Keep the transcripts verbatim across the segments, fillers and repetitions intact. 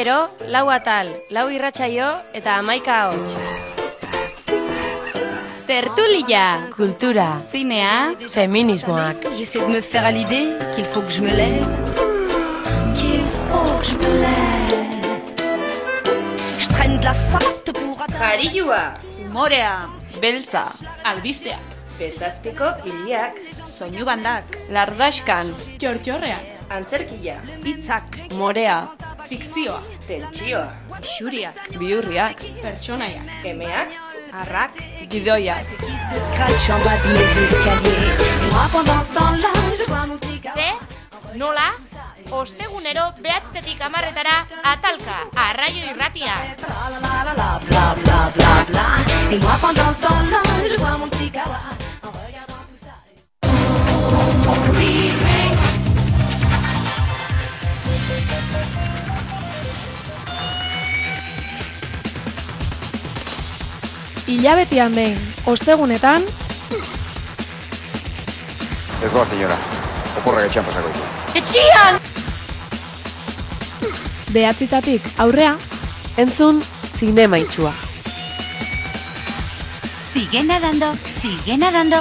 bero, lau atal, lau irratsaio eta hamaika ahots. Tertulia, kultura, zinea, feminismoak. J'essaie de me faire à l'idée qu'il faut que je me lève, qu'il faut que je me lève. Je traîne de la sorte pour Jarioa, Humorea, beltza, albisteak, bezazpiko hiliak, soinu bandak, lardaskan, txortxorrean, antzerkia, hitzak, morea, fikzioa, tentsioa, xuriak, bihurriak, pertsonaiak, emeak, arrak, gidoia. qui se scratche en bas de mes escaliers. Moi pendant ce temps-là, je vois mon petit Ze, nola, ostegunero behatztetik hamarretara atalka, arraio irratia. bla la la la bla bla bla bla. Et moi pendant ce temps-là, je vois mon petit kawa en regardant tout ça. Hilabetean behin, ostegunetan, Ez goa, senyora. Oporrak etxean pasako ditu. etxian! behatzitatik aurrea, Entzun, zinema itxua. Sigue nadando, sigue nadando.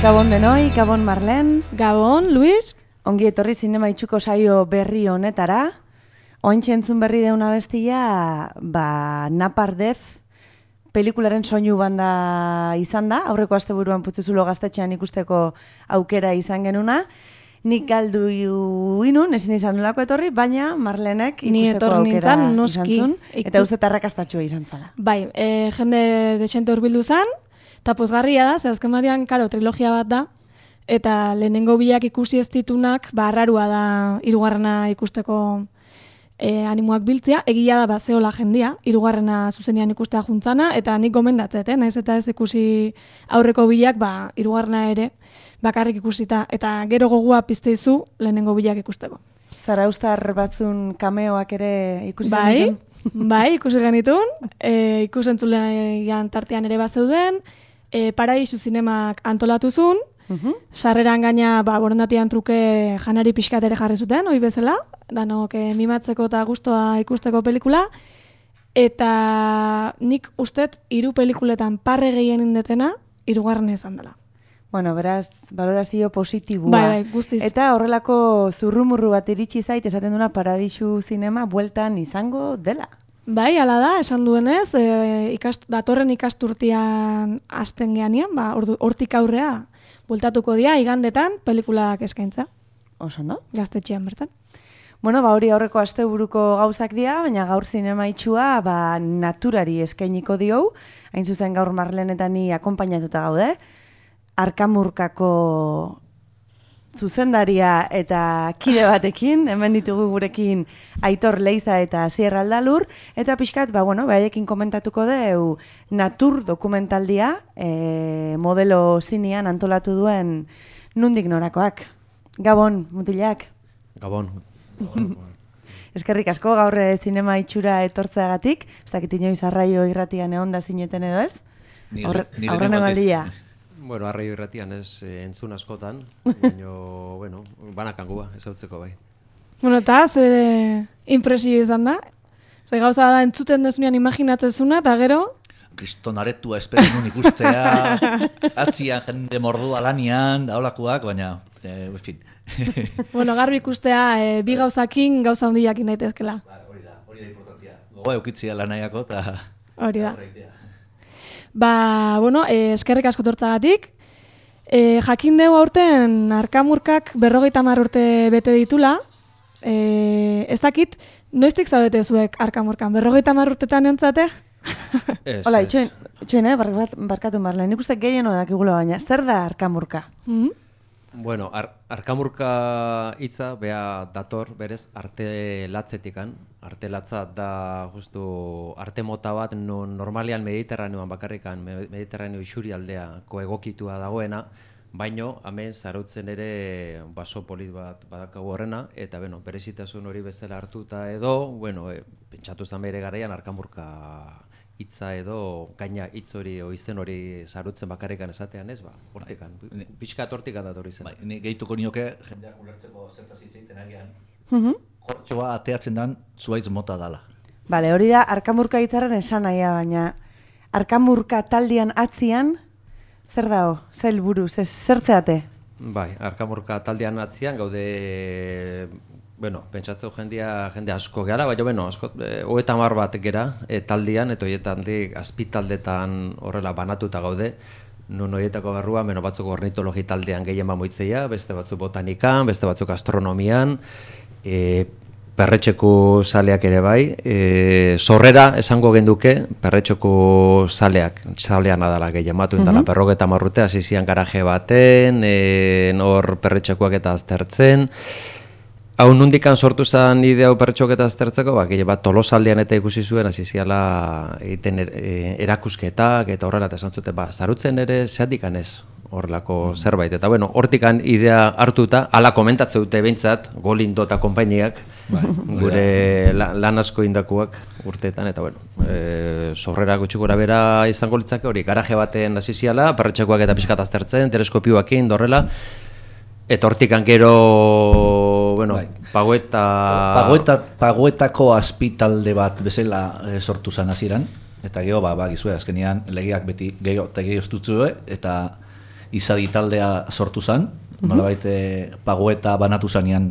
Gabon denoi, Gabon Marlen, Gabon, Luis, ongi etorri zinema itxuko saio berri honetara. Ointxe entzun berri deuna bestia, ba, Napardez pelikularen soinu banda izan da, aurreko asteburuan Putzuzulo gaztetxean ikusteko aukera izan genuna. Nik galdu inun, ezin izan nolako etorri, baina Marlenek ikusteko aukera izan zuen, eta uste arrakastatxua izan zala. Bai, e, jende dexente hurbildu zan, eta pozgarria da, ze azken batean, karo, trilogia bat da, eta lehenengo biak ikusi ez ditunak, ba, arrarua da hirugarrena ikusteko e, animoak biltzea, egia da bazeola jendia, hirugarrena zuzenean ikustea juntzana, eta nik gomendatzet, eh? Naiz eta ez ikusi aurreko biak, ba, hirugarrena ere, bakarrik ikusita, eta gero gogua pizteizu lehenengo bilak ikusteko. Zarauztar batzun kameoak ere ikusi bai, zenitun? Bai, ikusi genitun, e, ikusentzulean tartean ere bazeuden, e, Paraisu zinemak antolatuzun, Uh-huh. Sarreran gaina ba, borondatian truke janari pixkat ere jarri zuten, hoi bezala, danok e, mimatzeko eta gustoa ikusteko pelikula, eta nik ustet hiru pelikuletan parre gehien indetena, hirugarren izan dela. Bueno, beraz, valorazio positibua. Bai, bai, guztiz. Eta horrelako zurrumurru bat iritsi zait, esaten duna Paradisu zinema bueltan izango dela. Bai, hala da, esan duenez, e, ikast, datorren ikasturtian hasten geanean, ba, ordu- hortik aurrea, bueltatuko dira, igandetan, pelikulak eskaintza. Oso, no? Gaztetxean bertan. Bueno, ba hori aurreko asteburuko gauzak dira, baina gaur zinema itxua ba, naturari eskainiko diou, hain zuzen gaur Marlen eta ni akonpainatuta gaude, Arkamurkako zuzendaria eta kide batekin, hemen ditugu gurekin Aitor Leiza eta Asier Aldalur, eta pixkat, ba, bueno, behaiekin komentatuko deu natur dokumentaldia, e, modelo zinean antolatu duen nundik norakoak. Gabon, mutilak. Gabon. Eskerrik asko gaur eh, zinema itxura etortzeagatik, ez dakit inoiz arraio irratian egon da zineten edo ez? Aurre- Aurrena maldia. Bueno, arraio irratian ez eh, entzun askotan, baina, bueno, banakangua, ez hautzeko bai. Bueno, eta ze impresio izan da? Ze gauza da entzuten dezunean imaginatzezuna, eta gero... Kriston aretua espero nun ikustea, atzian jende mordua lanian, daolakoak, baina, eh, en fin. Bueno, garbi ikustea e, bi gauzakin gauza handiakin daitezkela. Hori da, hori da importantia. Gogoa eukitzia lanaiako eta... Hori da. Ba, bueno, e, eskerrik asko tortzagatik. E, jakin dugu aurten Arkamurkak berrogeita hamar urte bete ditula. E, ez dakit, noiztik zaudete zuek Arkamurkan? Berrogeita hamar urtetan entzate? Hola, itxoin, itxoin, eh, barkat, barkatu Marlen, nik uste gehieno dakigula baina, zer da Arkamurka? Mm-hmm. Bueno, ar Arkamurka hitza bea dator berez arte latzetikan. Arte latza da justu arte mota bat non normalean Mediterraneoan bakarrikan Mediterraneo isurialdeako egokitua dagoena, baino hemen zarautzen ere baso polit bat badakagu horrena eta bueno, berezitasun hori bezala hartuta edo, bueno, e, pentsatu zen bere garaian Arkamurka hitza edo gaina hitz hori o izen hori zarutzen bakarrikan esatean ez, ba, hortikan. Pixkat hortikan dator izen. Bai, ni gehituko nioke jendeak ulertzeko zertaz hitz egiten agian. Mhm. Kortxoa ateatzen dan zuaitz mota dala. Bale, hori da Arkamurka hitzaren esanahia, baina Arkamurka taldean atzian zer dago? Zer helburu, zer zertzeate? Bai, Arkamurka taldean atzian gaude, bueno, pentsatzeu jendia jende asko gara, baina bueno, asko eh, hogeita hamar bat gera e, taldean eta hoietandik azpitaldetan horrela banatuta gaude. Nun horietako barrua, beno batzuk ornitologi taldean gehien bamoitzeia, beste batzuk botanikan, beste batzuk astronomian, e, perretxeku zaleak ere bai, e, sorrera esango genduke perretxeku zaleak, zalean adala gehien batu indala, mm-hmm. Berrogeta marrute, hasi zian garaje baten, e, hor perretxekuak eta aztertzen. Hau nundikan sortu zen idea perretxok eta aztertzeko, ba, gehien bat Tolosaldean eta ikusi zuen, hasi ziala egiten er, e, erakusketak eta horrela eta esan zuten, ba, zarutzen ere zeatikan ez horrelako mm. zerbait. Eta bueno, hortikan idea hartuta, ala komentatze dute behintzat, Golindo eta konpainiak, gure la, lan asko indakuak urteetan, eta bueno, e, sorrera gutxi gora bera izango litzake hori, garaje baten hasi ziala, perretxekoak eta pixkat aztertzen, teleskopioakin, dorrela, eta hortikan gero, bueno, bai. Pagoeta... Pagoeta... Pagoetako azpitalde bat bezala e, sortu zen hasieran, eta gero, ba, ba, gizue, azkenean legeak beti gero eta gero estutzue, eta izadi taldea sortu zen, mm-hmm. nolabait e, Pagoeta banatu zanean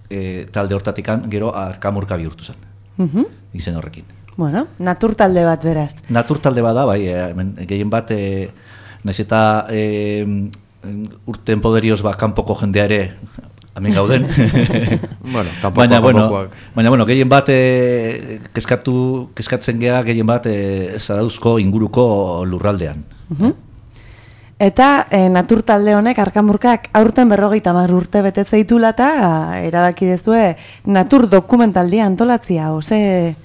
e, talde hortatikan, gero Arkamurka bihurtu zen, mm-hmm. izen horrekin. Bueno, natur talde bat beraz. Natur talde bat da, bai, e, gehien bat, e, nahiz eta... E, urten poderioz ba, kanpoko jendea ere hemen gauden. Bueno, kanpoko, baina, bueno, kanpokoak. Baina, bueno, gehien bat e, kezkatu, kezkatzen geha gehien bat e, Zarauzko inguruko lurraldean. Uh-huh. Eta e, natur talde honek, Arkamurkak, aurten berrogeita hamar urte betetze ditula eta erabaki dezue natur dokumentaldia antolatzia, oze...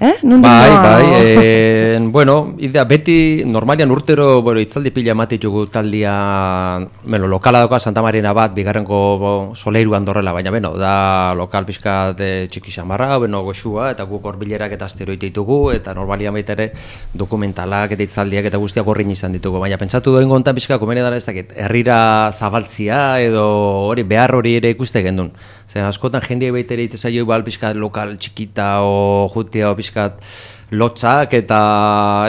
Eh? Bai, bai, e, bueno, idea, beti normalian urtero, bueno, itzaldi pila ematitugu taldia, bueno, lokala dauka Santa Marina bat, bigarrenko bo, Soleiruan dorrela, baina, bueno, da lokal pixka de txiki xamarra, bueno, goxua, eta guk horbilerak eta asteroite ditugu, eta normalian baita ere dokumentalak eta itzaldiak eta guztiak horrin izan ditugu, baina pentsatu doin gontan pixka, komene dara ez dakit, herrira zabaltzia edo hori behar hori ere ikuste gendun. Zer askotan jendeak baita ere itezaio igual pixka lokal txikita o jutea o pixka pixkat lotzak eta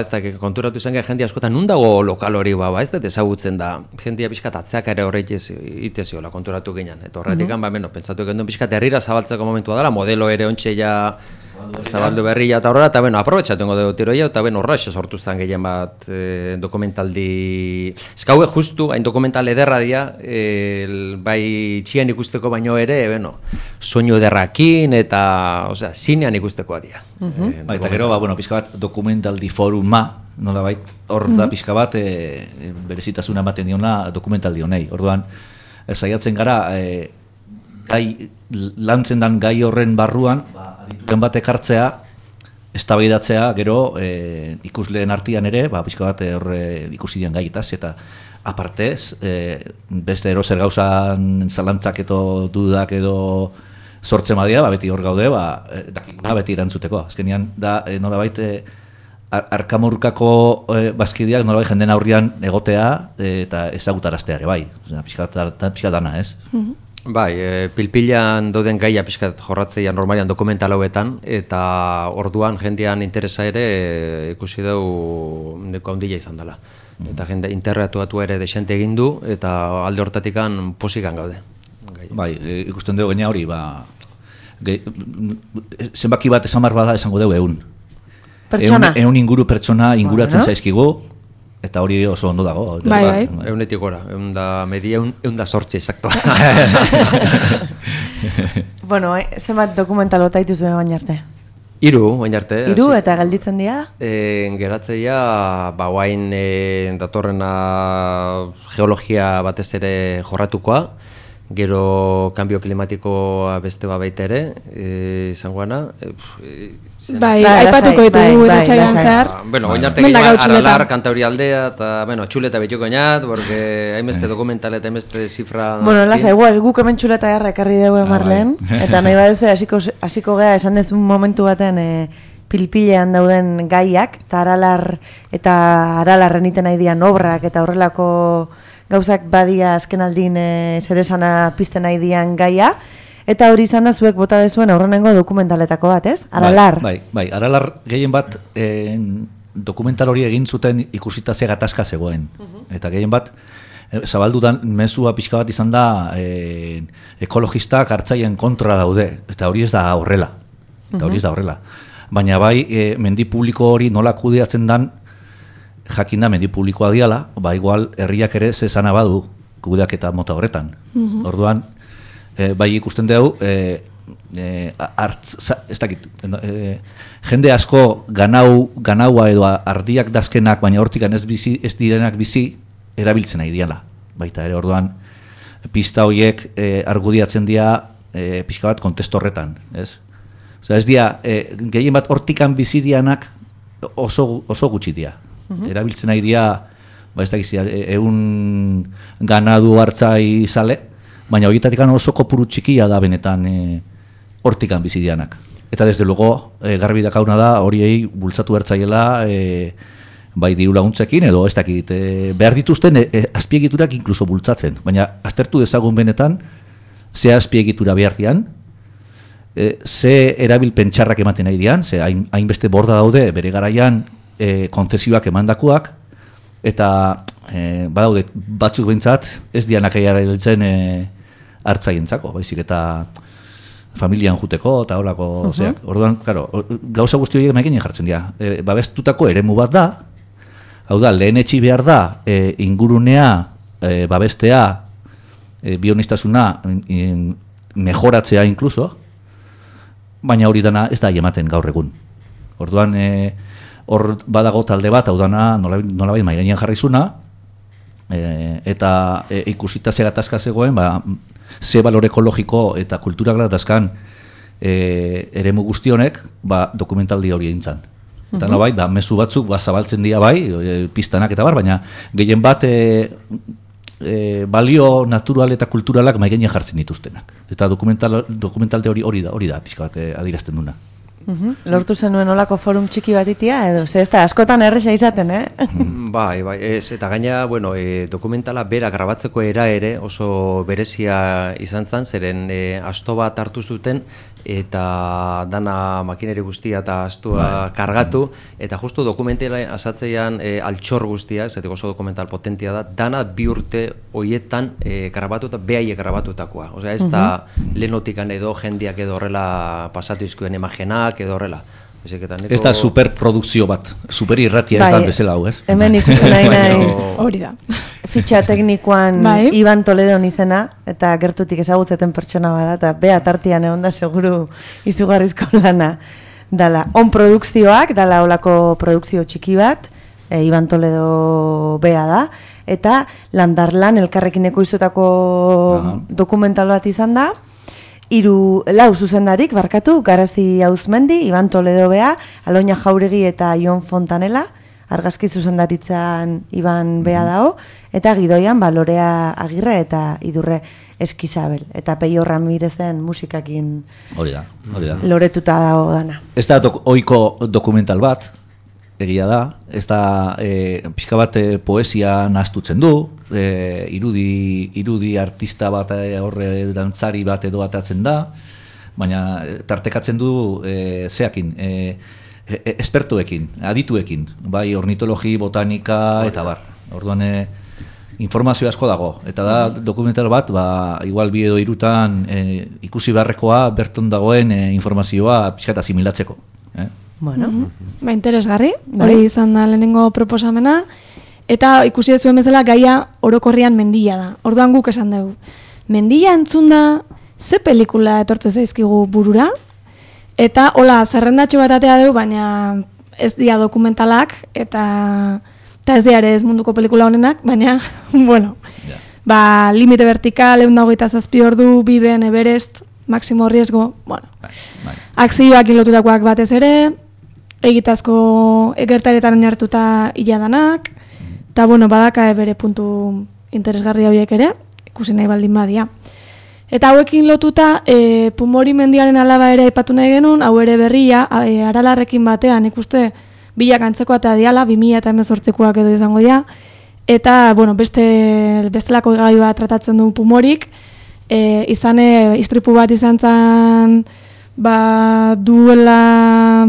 ez da, konturatu izan gara jende askotan nun dago lokal hori ba, ba ez da ezagutzen da, jendia pixkat atzeak ere horrek iteziola konturatu ginen. Eta horretik, mm -hmm. ba, beno, pentsatu gendun pixkat herrira zabaltzeko momentua dela, modelo ere ontxe ja zabaldu berria eta horrela, eta beno, aprobetxatu ingo dugu tiroia, eta beno, horra sortu zen gehien bat e, dokumentaldi... Ez gaue justu, hain dokumental ederra dira, e, bai txian ikusteko baino ere, beno, soinu ederrakin eta, osea, zinean ikustekoa dira. Mm -hmm. e, ba, eta gero, ba, bueno, pixka bat dokumentaldi foruma, nola bai, hor mm -hmm. da pixka bat e, berezitasuna ematen diona dokumentaldi honei. Orduan, saiatzen gara, e, gai, lantzen dan gai horren barruan, ba, adituen bat ekartzea, eztabaidatzea gero e, ikusleen artean ere, ba, pixka bat horre ikusi dian gaietaz, eta apartez, e, beste erozer gauzan zalantzak edo dudak edo sortzen badia, ba, beti hor gaude, ba, dakikuna beti erantzuteko. Azkenean, da, e, nolabait, e, arkamurkako e, bazkideak nolabait jenden aurrian egotea e, eta ezagutaraztea ere, bai. Pixka, pixka dana, ez? Mm-hmm. Bai, e, pilpilan dauden gaia pixkat jorratzea normalian dokumental hauetan, eta orduan jendean interesa ere e, ikusi dugu neko handila izan dela. Mm. Eta jende interretuatu ere desente egin du, eta alde hortatikan posikan gaude. Gai. Bai, e, ikusten dugu gaina hori, ba, ge, zenbaki bat esan bada esango dugu egun. Pertsona? Eun, eun inguru pertsona inguratzen bueno. zaizkigu, eta hori oso ondo dago. Bai, bai. Eunetik gora, eun da media, eun da sortzi, exacto. Bueno, eh, zenbat dokumental bota dituzu baina arte? Hiru, baina arte. Hiru eta gelditzen dira? E, geratzeia, ba, guain e, datorrena geologia batez ere jorratukoa, gero kambio klimatikoa beste bat baita ere, e, izangoana. E, bai, aipatuko ditugu irratsaioan zehar. Bueno, oin arte gehiago Aralar, Kantauri aldea, eta, bueno, txuleta betiko inat, porque hainbeste dokumental eta hainbeste zifra... Bueno, lasa, igual, guk hemen txuleta jarra ekarri dugu Marlen, eta nahi baduze hasiko hasiko gea esan dezun momentu baten e, pilpilean dauden gaiak, eta Aralar eta Aralarren iten nahi dian obrak, eta horrelako gauzak badia azken aldin e, zeresana pizten nahi dian gaia, eta hori izan da zuek bota dezuen aurrenengo dokumentaletako bat, ez? Aralar. Bai, bai, bai. Aralar gehien bat e, dokumental hori egin zuten ikusita ze gatazka zegoen. Uh-huh. Eta gehien bat e, zabaldudan mezua pixka bat izan da e, ekologistak hartzaien kontra daude, eta hori ez da horrela. Eta uh-huh. hori ez da horrela. Baina bai, e, mendi publiko hori nola kudeatzen dan, jakin da mendi publikoa diala, ba igual herriak ere zezana badu kudeaketa mota horretan. Uh-huh. Orduan, E, bai ikusten dugu, e, e, artz, ez dakit, e, jende asko ganau, ganaua edo ardiak dazkenak, baina hortikan ez, bizi, ez direnak bizi, erabiltzen nahi diala. Baita ere, orduan, pista horiek e, argudiatzen dira e, pixka bat kontesto horretan, ez? Osea, ez dira, e, gehien bat hortikan bizi dianak oso, oso gutxi dira. Uh-huh. Erabiltzen nahi dira, ba ez dakit, egun ganadu hartzai zale, baina horietatik oso kopuru txikia da benetan e, hortikan bizidianak. Eta desde luego, e, garbi dakauna da, horiei bultzatu hartzaiela e, bai diru laguntzekin, edo ez dakit, e, behar dituzten e, e, azpiegiturak inkluso bultzatzen. Baina aztertu dezagun benetan, ze azpiegitura behar dian, e, ze erabilpen txarrak ematen nahi dian, ze hain, hainbeste borda daude bere garaian e, konzesioak emandakoak, eta e, badaude batzuk behintzat ez dianak erabiltzen e, hartzaientzako, baizik eta familian juteko eta horako uh-huh. zeak. Orduan, claro, gauza guzti horiek maikinen jartzen dira. E, babestutako eremu bat da, hau da, lehen etxi behar da, e, ingurunea, e, babestea, e, bionistasuna, in, mejoratzea inkluso, baina hori dana ez da ematen gaur egun. Orduan, e, hor badago talde bat, hau dana, nolabait mai gainean jarrizuna, e, eta e, ikusita ze gatazka zegoen, ba, ze balore ekologiko eta kulturak gatazkan e, eremu guztionek, ba, dokumentaldi hori egin zan. Eta uh-huh. nolabait, ba, mezu batzuk ba, zabaltzen dira bai, e, piztanak eta bar, baina gehien bat e, e, balio natural eta kulturalak mai gainean jartzen dituztenak. Eta dokumental, dokumentalde hori hori da, hori da, pixka bat e, adierazten duna. Uhum. Lortu zenuen olako forum txiki bat itia, edo, ze ez da, askotan erresa izaten, eh? Bai, bai, ez, eta gaina, bueno, e, dokumentala bera grabatzeko era ere oso berezia izan zen, zeren e, asto bat hartu zuten eta dana makineri guztia eta astua kargatu, eta justu dokumentela asatzeian e, altxor guztia, ez oso dokumental potentia da, dana bi urte hoietan e, grabatuta, behaiek grabatutakoa. Osea, ez da lehenotikan edo jendiak edo horrela pasatu izkuen imagenak edo horrela. Ez da superprodukzio bat, super irratia ez da bezala hau, ez? Hemen ikusten nahi nahi hori da. Fitxa teknikoan Iban Toledon izena, eta gertutik ezagutzeten pertsona bada, eta bea tartian egon da seguru izugarrizko lana. Dala, on produkzioak, dala olako produkzio txiki bat, Iban Toledo bea da, eta Landarlan elkarrekin ekoiztutako dokumental bat izan da, Hiru lau zuzendarik, barkatu, Garazi Auzmendi, Iban Toledo bea, Aloina Jauregi eta Jon Fontanela, argazki zuzendaritzan Iban bea dago, eta gidoian ba, Lorea Agirre eta Idurre Eskizabel. Eta Peio Ramirezen musikakin hori da, hori da. Loretuta dago dana. Ez da dok, oiko dokumental bat, egia da, ez da e, pixka bat e, poesia nahaztutzen du, e, irudi, irudi artista bat e, horre dantzari bat edo atatzen da, baina tartekatzen du e, zeakin, e, e, espertoekin, adituekin, bai ornitologi, botanika eta bar. Orduan e, informazio asko dago, eta da dokumental bat, ba, igual bi edo hirutan e, ikusi beharrekoa berton dagoen e, informazioa pixka eta asimilatzeko. Eh? Bueno. Mm-hmm. Ba, interesgarri, hori izan da lehenengo proposamena, eta ikusi zuen bezala gaia orokorrian mendia da. Orduan guk esan dugu. Mendia entzun da, ze pelikula etortze zaizkigu burura, eta hola, zerrendatxo bat atea dugu, baina ez dira dokumentalak, eta, eta ez dira ere ez munduko pelikula honenak, baina, bueno, yeah. ba, Limite Vertikal, ehun eta hogeita zazpi ordu, Biben, Everest, Máximo Riesgo, bueno, bai. Akzioak lotutakoak batez ere, egitazko egertaretan oinartuta iladanak, eta bueno, badaka bere puntu interesgarri horiek ere, ikusi nahi baldin badia. Eta hauekin lotuta, e, Pumori mendiaren alaba ere aipatu nahi genuen, hau ere berria, e, Aralarrekin batean ikuste bilak antzekoa eta diala, bi mila hemezortzikoak edo izango dira, eta bueno, beste, bestelako gai bat tratatzen du Pumorik, e, izan istripu bat izan zen, ba, duela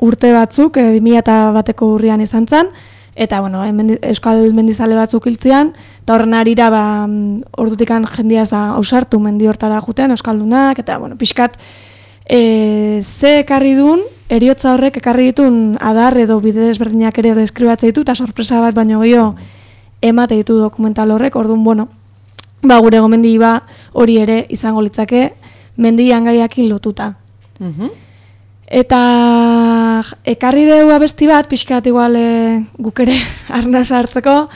urte batzuk, e, bi mila bateko urrian izan zen, eta bueno, mendi, euskal mendizale batzuk hiltzean, eta horren arira ba, ordutikan jendia ausartu mendi hortara jutean, euskaldunak, eta bueno, pixkat, e, ze ekarri duen, eriotza horrek ekarri ditun adar edo bide desberdinak ere deskribatzea ditu, eta sorpresa bat baino gehiago emate ditu dokumental horrek, orduan, bueno, ba, gure gomendi ba hori ere izango litzake mendian gaiakin lotuta. Mm-hmm. Eta ekarri dugu abesti bat, pixkat igual e, guk ere arnaz hartzeko,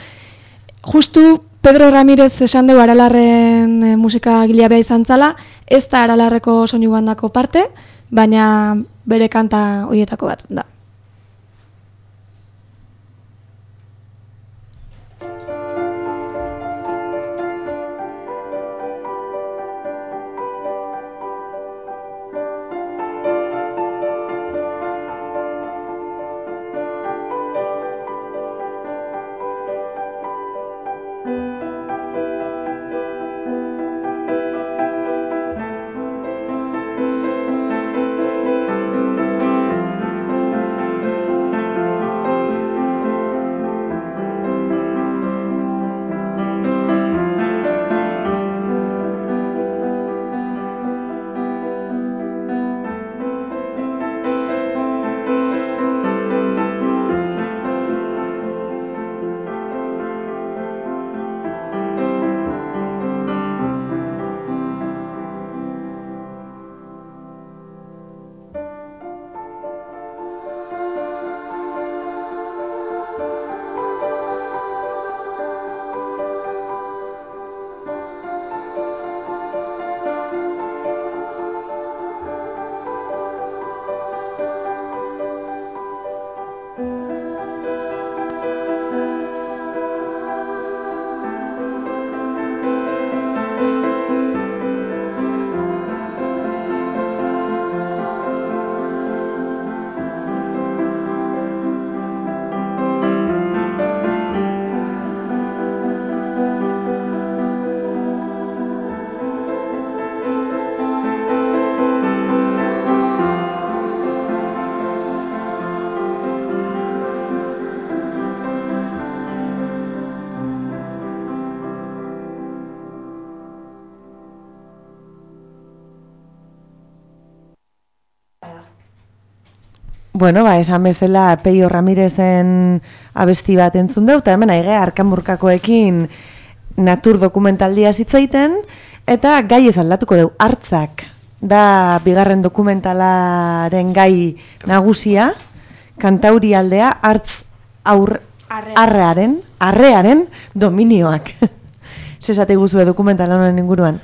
justu Pedro Ramirez esan dugu Aralarren e, musika gilea izan zala, ez da Aralarreko soinu bandako parte, baina bere kanta horietako bat da. Bueno, ba, esan bezala Peio Ramirezen abesti bat entzun dut, eta hemen aige Arkamurkakoekin natur dokumentaldia zitzaiten, eta gai ez aldatuko deu, Hartzak. Da bigarren dokumentalaren gai nagusia, Kantauri aldea, Hartz aur, arrearen, arrearen dominioak. Zesate guzue dokumental honen inguruan?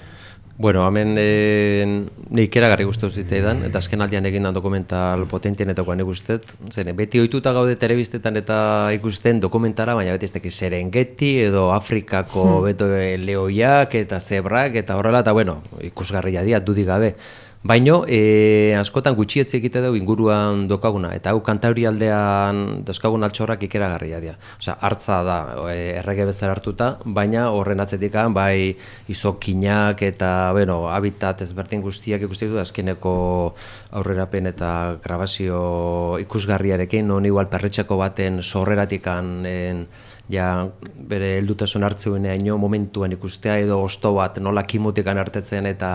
Bueno, hemen e, nik eragarri guztu zitzaidan, eta azken aldian egin da dokumental potentienetakoan ikustet. Zer, beti ohituta gaude telebistetan eta ikusten dokumentara, baina beti ez dakiz Serengeti edo Afrikako hmm. beto lehoiak eta zebrak eta horrela, eta bueno, ikusgarria dira, dudik gabe. Baino, e, askotan gutxietzi egite dugu inguruan dokaguna, eta hau Kantauri aldean dauzkagun altxorrak ikeragarria dira. Osea, Hartza da e, errege bezala hartuta, baina horren atzetik bai izokinak eta, bueno, habitat ezberdin guztiak ikusten dut azkeneko aurrerapen eta grabazio ikusgarriarekin, non igual perretxako baten sorreratikan en, ja bere heldutasun hartzeunean momentuan ikustea edo osto bat nola kimutikan hartetzen eta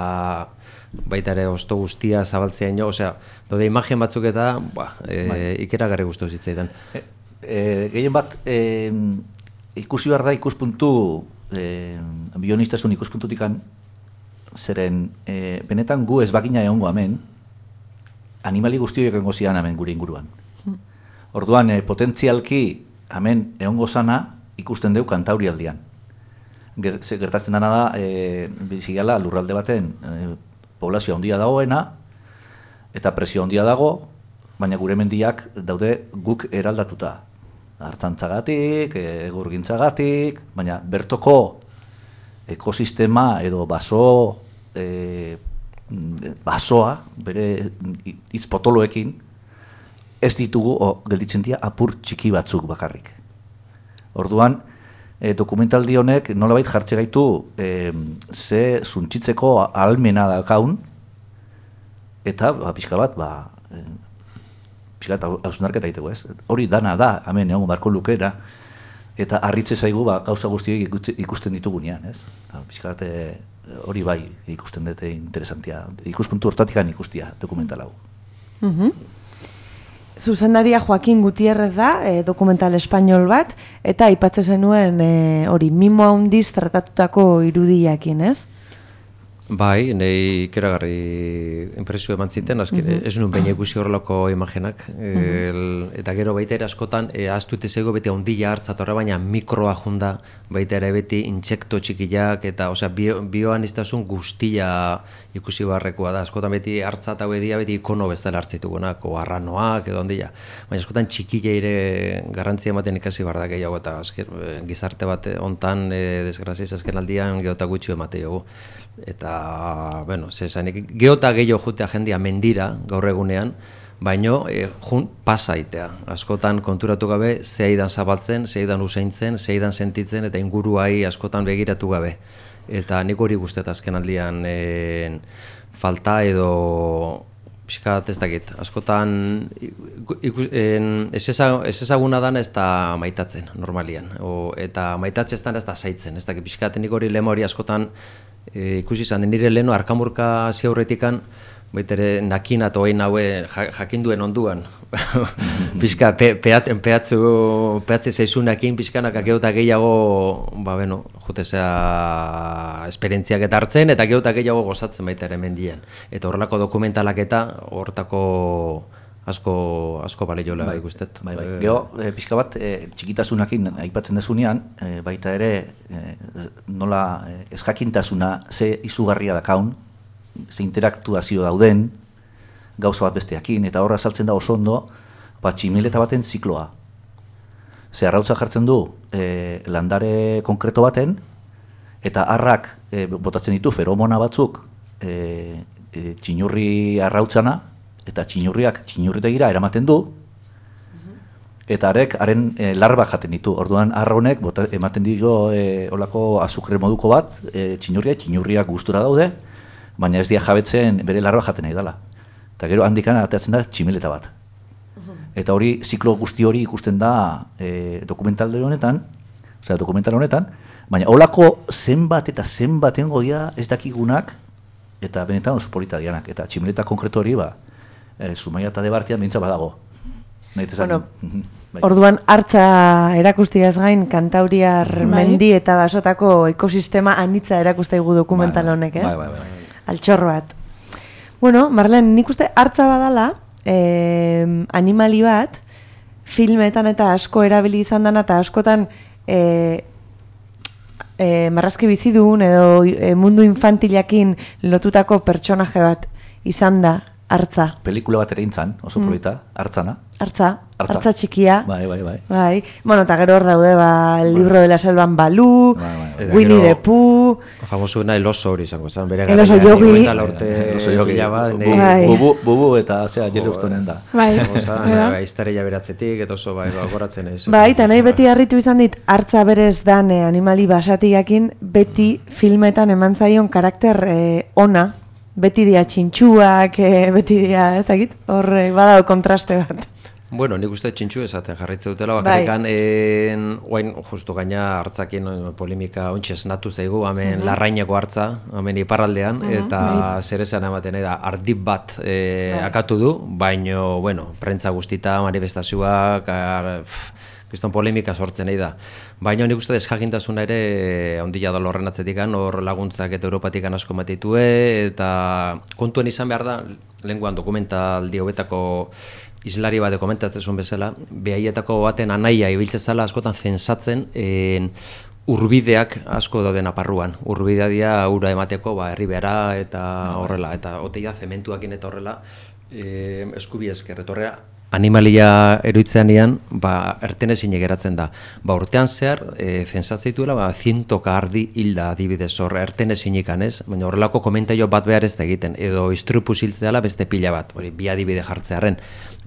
baita ere osto guztia zabaltzea ino, osea, dode imagen batzuk eta ba, e, ikeragarri guztu zitzaidan. E, e, gehien bat, e, ikusi behar da ikuspuntu, e, bionistasun ikuspuntutikan, zeren e, benetan gu ez bakina egongo hemen, animali guztiok egongo zian hemen gure inguruan. Orduan, e, potentzialki hemen egongo zana ikusten deu Kantauri aldian. Gertatzen dena da, e, bizigala lurralde baten, e, poblazio handia dagoena, eta presio handia dago, baina gure mendiak daude guk eraldatuta. Artzantzagatik, egurgintzagatik, baina bertoko ekosistema edo baso, e, basoa, bere hitz potoloekin, ez ditugu o, gelditzen dira apur txiki batzuk bakarrik. Orduan, E, dokumentaldi honek nolabait jartze gaitu e, ze zuntzitzeko ahalmena dakaun eta ba, pixka bat ba, e, pixka bat hausnarketa egiteko, ez? Hori dana da, hemen egon barko lukera eta harritze zaigu ba, gauza guztiek ikusten ditugunean, ez? Pixka bat hori bai ikusten dute interesantia, ikuspuntu hortatikan ikustia dokumental hau. Mhm. Zuzendaria Joaquin Gutierrez da, e, dokumental espainol bat, eta aipatzen zenuen hori e, mimo handiz tratatutako irudiakin, ez? Bai, nahi ikeragarri impresio eman ziten, azken, uh -huh. ez nuen baina ikusi horrelako imagenak, uh -huh. el, eta gero baita ere askotan, e, ahaztu itezego beti ondila hartzatorra, baina mikroa junda, baita ere beti intsekto txikiak, eta osea, bio, bioan iztasun guztia ikusi barrekoa da, askotan beti hartzat hau edia, beti ikono bezala hartzitugunak, o arranoak edo ondila, baina askotan txikila ere garrantzia ematen ikasi barda gehiago, eta azken, gizarte bat ontan, e, desgraziz azken aldian geota gutxi emate jogu. Eta, bueno, zezanik, geota gehiago jutea jendia mendira gaur egunean, baino e, jun pasaitea. Askotan konturatu gabe, zeidan zabaltzen, zeidan useintzen, zeidan sentitzen, eta inguruai askotan begiratu gabe. Eta nik hori guztet azken aldian e, falta edo pixkat ez dakit. Askotan ez ezaguna dana ez da maitatzen, normalian. O, eta maitatzen ez da zaitzen. Ez dakit, pixkat nik hori lema hori askotan E, ikusi izan, nire leheno Arkamurka ziaurretikan, baitere nakin eta oain haue jakinduen onduan. Pixka, pe, peat, peatzu, peatze zaizunakin, pixkanak geota gehiago, ba, beno, jutezea esperientziak eta hartzen, eta geota gehiago gozatzen baita ere mendien. Eta horrelako dokumentalak eta hortako asko, asko baleiola bai, ikustet. Bai, bai. Gero, e, pixka bat, e, txikitasunakin aipatzen dezunean, e, baita ere, e, nola e, ez jakintasuna ze izugarria dakaun, ze interaktuazio dauden, gauza bat besteakin, eta horra saltzen da oso ondo, ba, tximileta baten zikloa. Ze arrautza jartzen du e, landare konkreto baten, eta harrak e, botatzen ditu feromona batzuk e, e, txinurri arrautzana, eta txinurriak txinurritegira eramaten du, eta harek haren e, larba jaten ditu. Orduan harra honek bota, ematen digo e, olako azukre moduko bat, e, txinurria, txinurriak gustura daude, baina ez dia jabetzen bere larba jaten nahi dela. Eta gero handikan ateratzen da tximeleta bat. Eta hori, ziklo guzti hori ikusten da e, dokumental honetan, osea, dokumental honetan, baina olako zenbat eta zenbaten godia ez dakigunak, eta benetan oso polita dianak. Eta tximeleta konkretu hori, ba, E, Zumaia eta Debartian bintza badago. Bueno, orduan hartza erakustiaz gain kantauriar mendi eta basotako ekosistema anitza erakustaigu dokumental honek, ez? Bai, bai, bai. Altxorro bat. Bueno, Marlen, nik uste hartza badala, eh, animali bat, filmetan eta asko erabili izan dana, eta askotan eh, eh, marrazki bizidun edo eh, mundu infantilakin lotutako pertsonaje bat izan da hartza. Pelikula bat ere intzan, oso polita, hartzana. Hartza, hartza txikia. Bai, bai, bai. Bai. Bueno, eta gero hor daude, ba, el libro de la selvan Balú, Winnie the Pooh. Famosuena el oso hori izango zen, bere el oso yogi. El oso yogi. Bubu, bubu eta, zera, jere ustonen da. Bai. Iztareia beratzetik, eta oso, bai, goratzen ez. Bai, eta nahi beti harritu izan dit, hartza berez dan eh, animali basatiakin, beti filmetan eman zaion karakter eh, ona, beti dia txintxuak, eh, beti dia, ez dakit, hor eh, badao kontraste bat. Bueno, nik uste txintxu esaten jarritze dutela, bakarrikan, bai. Oain, justu gaina hartzakin polemika ontsi esnatu zaigu, hemen uh -huh. larraineko hartza, hemen iparraldean, uh -huh. eta bai. zer esan ematen da, ardip bat e, bai. akatu du, baino, bueno, prentza guztita, manifestazioak, ar, pff, kriston polemika sortzen nahi da. Baina nik uste desjakintasuna ere ondila da horren atzetikan, hor laguntzak eta Europatikan asko matitue, eta kontuen izan behar da, lenguan dokumentaldi hobetako islari bat komentatzen bezala, behaietako baten anaia ibiltze zala askotan zensatzen en, urbideak asko dauden aparruan. Urbidea dira ura emateko ba, herri behara eta horrela, eta oteia zementuakin eta horrela e, eskubi esker, eta horrela animalia eroitzean ean, ba, ertenezin geratzen da. Ba, urtean zehar, e, zensatzeituela, ba, zientoka ardi hilda adibidez hor, ertenezin ikanez, baina horrelako komentaio bat behar ez da egiten, edo istrupuz hiltzeala beste pila bat, hori, bi adibide jartzearen.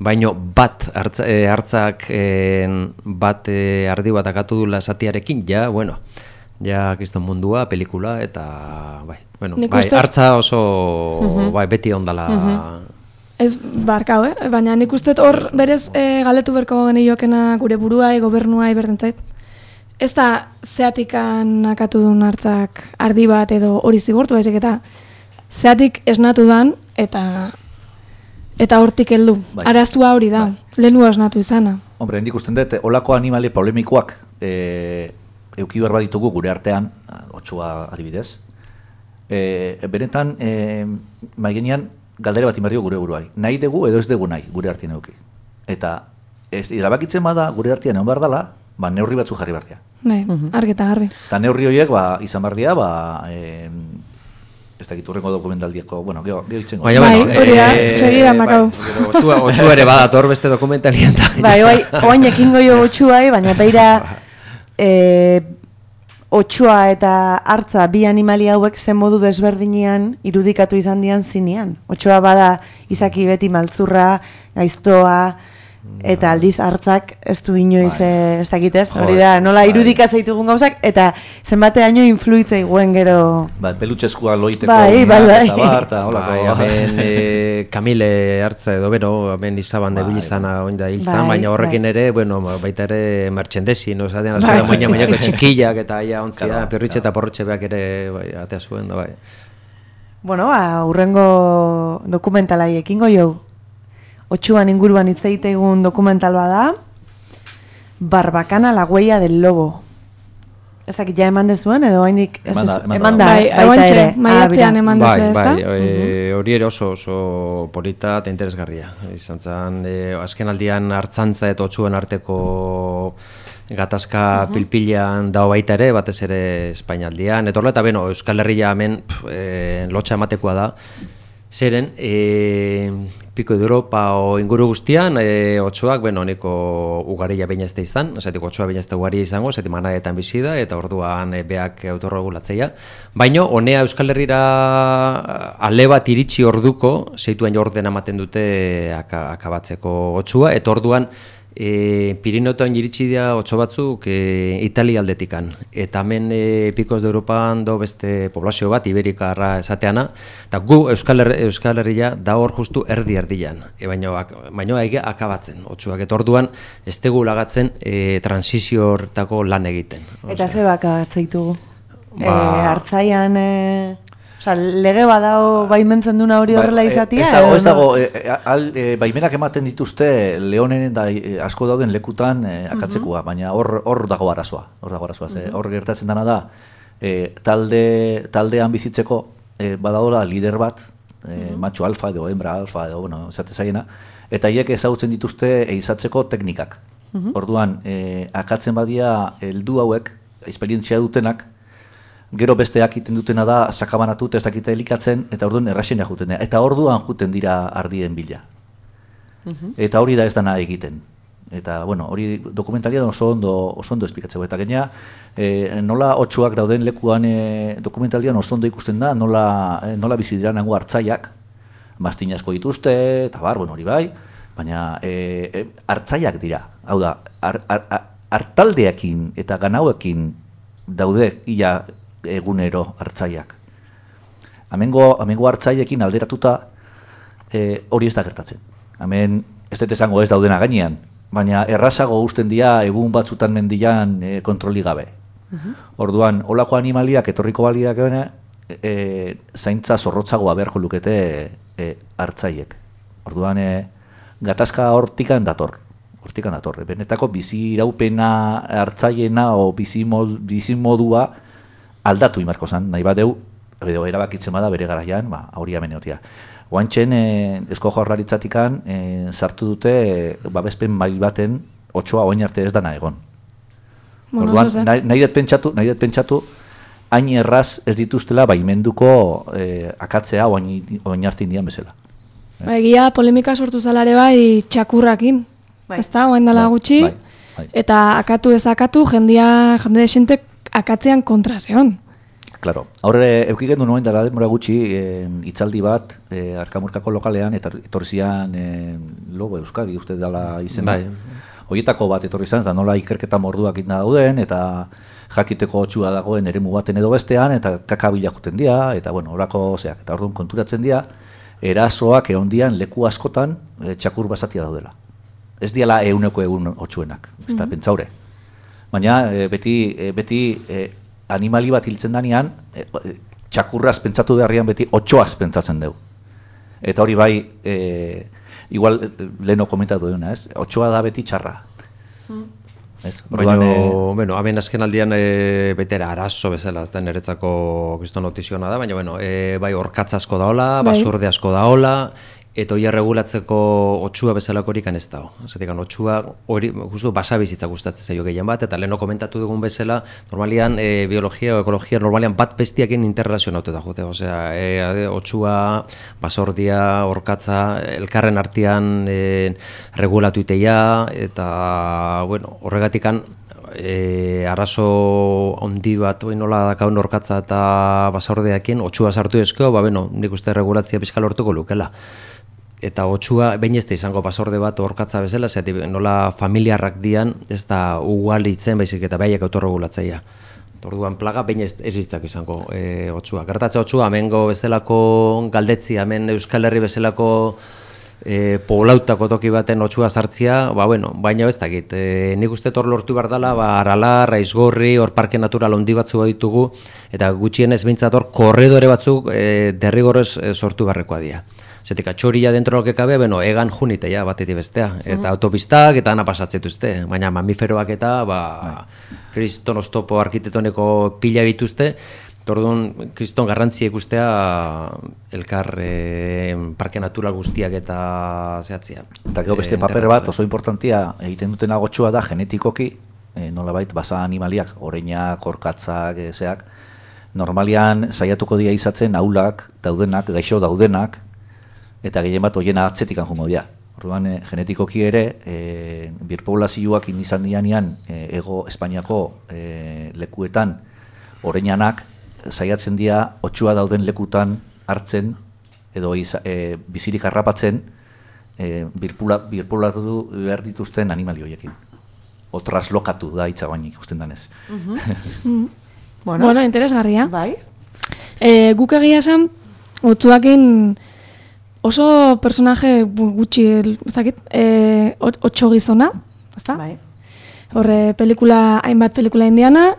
Baina bat, hartza, e, hartzak e, bat e, ardi bat akatu dula esatiarekin, ja, bueno, ja, kriston mundua, pelikula, eta, bai, bueno, bai, hartza oso, uh -huh. bai, beti ondala, uh -huh. Ez barkau, eh? Baina nik uste hor berez e, galetu berko geniokena gure buruai, gobernuai berdentzait. Ez da zeatikan akatu duen hartzak ardi bat edo hori zigortu baizik eta zeatik esnatu dan eta eta hortik heldu. Bai. Arazua hori da, bai. Lehenua esnatu izana. Hombre, nik usten dut, olako animali polemikoak e, euki behar baditugu gure artean, otxua adibidez. E, benetan, e, maigenean, galdere bat inberdio gure buruai. Nahi dugu edo ez dugu nahi gure artean euki. Eta ez, irabakitzen bada gure artean egon behar dela, ba, neurri batzu jarri behar dira. Bai, argi eta garbi. Eta neurri horiek ba, izan behar dira, ba, e, ez dakit urrengo dokumentaldieko, bueno, geho, geho itxengo. Bai, hori da, segidan dakau. Otxua ere badator beste dokumentalien da. Bai, bai, oain ekingo jo otxuai, baina beira e, otxua eta hartza bi animali hauek zen modu desberdinean irudikatu izan dian zinean. Otxoa bada izaki beti maltzurra, gaiztoa, eta aldiz hartzak ez du inoiz ez dakitez. Hori da, nola irudikatzen ditugun gauzak, eta zenbateaino influitzei guen gero... Ba, pelutxeskua loiteko, bai, bai, bai. eta bar, eta holako... Hemen e, Kamile hartza edo, bero, hemen izaban de bilizana oin da hiltzan, baina horrekin ere, bueno, baita ere merchendesi, no? Zaten, azkara moina moinako txikillak eta aia ontzia, pirritxe eta porrotxe beak ere, bai, atea zuen, da, bai. Bueno, ba, urrengo dokumentalai ekingo jau. Otxuan inguruan hitz egitegun dokumental bada, Barbacana la huella del lobo. Ez dakit ja eman dezuen, edo haindik... Eman da, eman da, baita ere. Maiatzean eman dezuen, ez da? Bai, hori ere oso oso polita eta interesgarria. Izan zen, azken aldian hartzantza eta otxuen arteko gatazka uh-huh. pilpilean dago baita ere, batez ere Espainialdian. Eta horrela, eta beno, Euskal Herria hemen e, lotxa ematekoa da. Zeren, e, piko de Europa o inguru guztian, e, otxoak, bueno, honeko ugaria baina ez da izan, esatik otxoa baina ez da ugaria izango, esatik manadetan bizi da, eta orduan e, beak autorregulatzeia. Baina, honea Euskal Herrira ale bat iritsi orduko, zeituen jordena ematen dute aka, akabatzeko otxua, eta orduan, E, Pirinoetan iritsi dira otso batzuk e, Italia aldetikan, eta hemen e, Picos de Europan do beste poblazio bat, Iberikarra esateana, eta gu Euskal, Her Euskal Herria da hor justu erdi erdian, e, baina baino ege akabatzen, otsuak, eta orduan ez tegu lagatzen e, transizio horretako lan egiten. Eta ze baka ditugu? Ba, e, hartzaian... E... Osa, lege badao baimentzen duna hori horrela izatia? Ez dago, ez dago, e, al, e, baimenak ematen dituzte Leonen da e, asko dauden lekutan e, akatzekoa, baina hor hor dago arazoa, hor dago arazoa, ze hor gertatzen dana da, e, talde, taldean bizitzeko e, badagoela lider bat, e, macho alfa edo hembra alfa edo, bueno, esate zaiena, eta hiek ezagutzen dituzte eizatzeko teknikak. Orduan, e, akatzen badia heldu hauek, esperientzia dutenak, gero besteak iten dutena da sakabanatu ez dakite elikatzen, eta orduan erraxena juten dira. Eta orduan juten dira ardien bila. Eta hori da ez dana egiten. Eta, bueno, hori dokumentalia oso ondo, oso ondo esplikatzeko. Eta gaina, e, nola otsuak dauden lekuan e, dokumentalian oso ondo ikusten da, nola, e, nola bizi dira nango hartzaiak, mastin asko dituzte, eta bar, bueno, hori bai, baina e, e, hartzaiak dira. Hau da, hartaldeekin eta ganauekin daude ia egunero hartzaiak. Hemengo hemengo hartzaiekin alderatuta e, hori ez da gertatzen. Hemen ez dut esango ez daudena gainean, baina errazago uzten dira egun batzutan mendian e, kontroli gabe. Orduan, holako animaliak etorriko baliak gana, e, zaintza zorrotzagoa beharko lukete e, hartzaiek. Orduan, e, gatazka hortikan dator. Hortikan dator. Benetako bizi iraupena hartzaiena o bizi modua aldatu imarko zan, nahi bat deu, edo erabakitzen bada bere garaian, ba, hori ameneotia. Oantxen, e, Eusko Jaurlaritzatikan e, sartu dute e, babespen mail baten otsoa oain arte ez dana egon. Bueno, orduan, nahi, nahi dut pentsatu, nahi dut pentsatu, hain erraz ez dituztela baimenduko e, akatzea oain, oain arte indian bezala. Ba, egia polemika sortu zalare bai txakurrakin, bai. Ez da, oain dela gutxi, bai, bai. Eta akatu ez akatu, jendia, jende desentek akatzean kontra zeon. Claro. Horre, eukigen du noen dara demora gutxi e, itzaldi bat e, Arkamurkako lokalean, eta etorri zian e, Logo Euskadi, uste dela izena. Bai. Horietako bat etorri zian, eta nola ikerketa morduak inda dauden, eta jakiteko otxua dagoen eremu baten edo bestean, eta kakabila juten dira, eta bueno, horako zeak, eta orduan konturatzen dira, erasoak egon dian leku askotan e, txakur basatia daudela. Ez diala euneko egun otxuenak, ez da, mm-hmm. Pentsaure. Baina e, beti, e, beti e, animali bat hiltzen danean, e, e, txakurraz pentsatu beharrian beti otxoaz pentsatzen dugu. Eta hori bai, e, igual leheno komentatu duna, ez? Otxoa da beti txarra. Mm. Baina, e... bueno, hemen azken aldian e, betera arazo bezala, ez da niretzako kriston notiziona da, baina, bueno, e, bai, orkatz asko daola, basurde asko daola, eta hori regulatzeko otxua bezalakorik ez dago. Zatik, otxua hori, justu, basabizitza gustatzen zaio gehien bat, eta leheno komentatu dugun bezala, normalian, e, biologia o ekologia, normalian bat bestiakin interrelazionaute da jute. Osea, e, otxua, basordia, orkatza, elkarren artean e, regulatu iteia, eta, bueno, horregatikan, E, arazo ondi bat oin nola dakaun orkatza eta basordeakin, otxua sartu ezko, ba, bueno, nik uste regulatzia pixka lortuko lukela. Eta otxua, behin ez da izango basorde bat orkatza bezala, zeti nola familiarrak dian, ez da ugalitzen, baizik eta behiak autorregulatzaia. Orduan plaga, behin ez, ez ditzak izango e, otxua. Gertatze otxua, hemengo bezalako galdetzi, hemen Euskal Herri bezalako E, poblautako toki baten otxua sartzia, ba, bueno, baina ez dakit. E, nik uste hor lortu behar dela, ba, Aralar, Aizgorri, hor parke natural ondi batzu ditugu, eta gutxienez behintzat hor korredore batzuk e, derrigorrez e, sortu beharrekoa dira. Zetik, atxoria dentro loke kabe, bueno, egan junitea batetik bestea, eta uh-huh. autopistak eta ana pasatzituzte, baina mamiferoak eta, ba, kriston oztopo arkitektoniko pila bituzte, orduan, kriston garrantzia ikustea elkar e, parke natural guztiak eta zehatzia. Eta gero beste paper bat oso importantia egiten duten agotxua da genetikoki, e, nolabait basa animaliak, oreinak, orkatzak, e, zeak, normalian saiatuko dira izatzen ahulak daudenak, gaixo daudenak, eta gehien bat hoiena atzetik anjungo dira. Orduan, e, genetikoki ere, e, birpoblazioak izan dianean e, ego Espainiako e, lekuetan oreinanak, saiatzen dira otxua dauden lekutan hartzen edo iza, e, bizirik harrapatzen e, birpoblatu behar dituzten animali horiekin. O traslokatu da hitza baina ikusten danez. Uh-huh. bueno, bueno, interesgarria. Bai. E, guk egia esan, otxuakin oso personaje gutxi, ez dakit, e, otxo gizona, ezta? Bai. Horre, pelikula, hainbat pelikula indiana,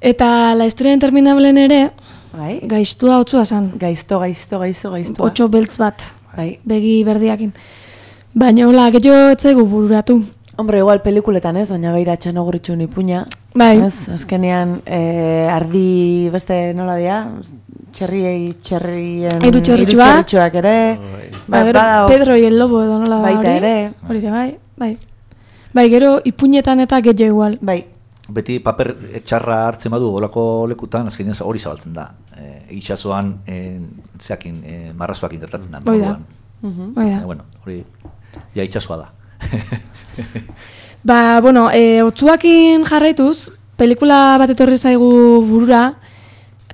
eta La historia interminableen ere, Bai. Gaiztua otzua zan. Gaizto, gaizto, gaizto, gaiztua. Otxo beltz bat, bai. Begi berdiakin. Baina, hola, gehiago etzaigu bururatu. Hombre, igual pelikuletan ez, doña Beira txanoguritxun ipuña. Bai. Ez, azkenean, eh, ardi beste nola dia, txerriei, txerrien... Hiru txerritxu bat. Txerritxuak ere. Ba, gero, Pedro y el Lobo edo nola da hori. Baita ere. Hori ere, bai, bai. Bai, gero, ipuñetan eta gehiago igual. Bai. Beti paper txarra hartzen badu olako lekutan, azkenean hori zabaltzen da. E, itxasoan, e, zeakin, e, marrazoakin gertatzen da. Hoi da. Hoi da. E, bueno, hori, ja itxasoa da. Ba, bueno, e, otzuakin jarraituz, pelikula bat etorri zaigu burura,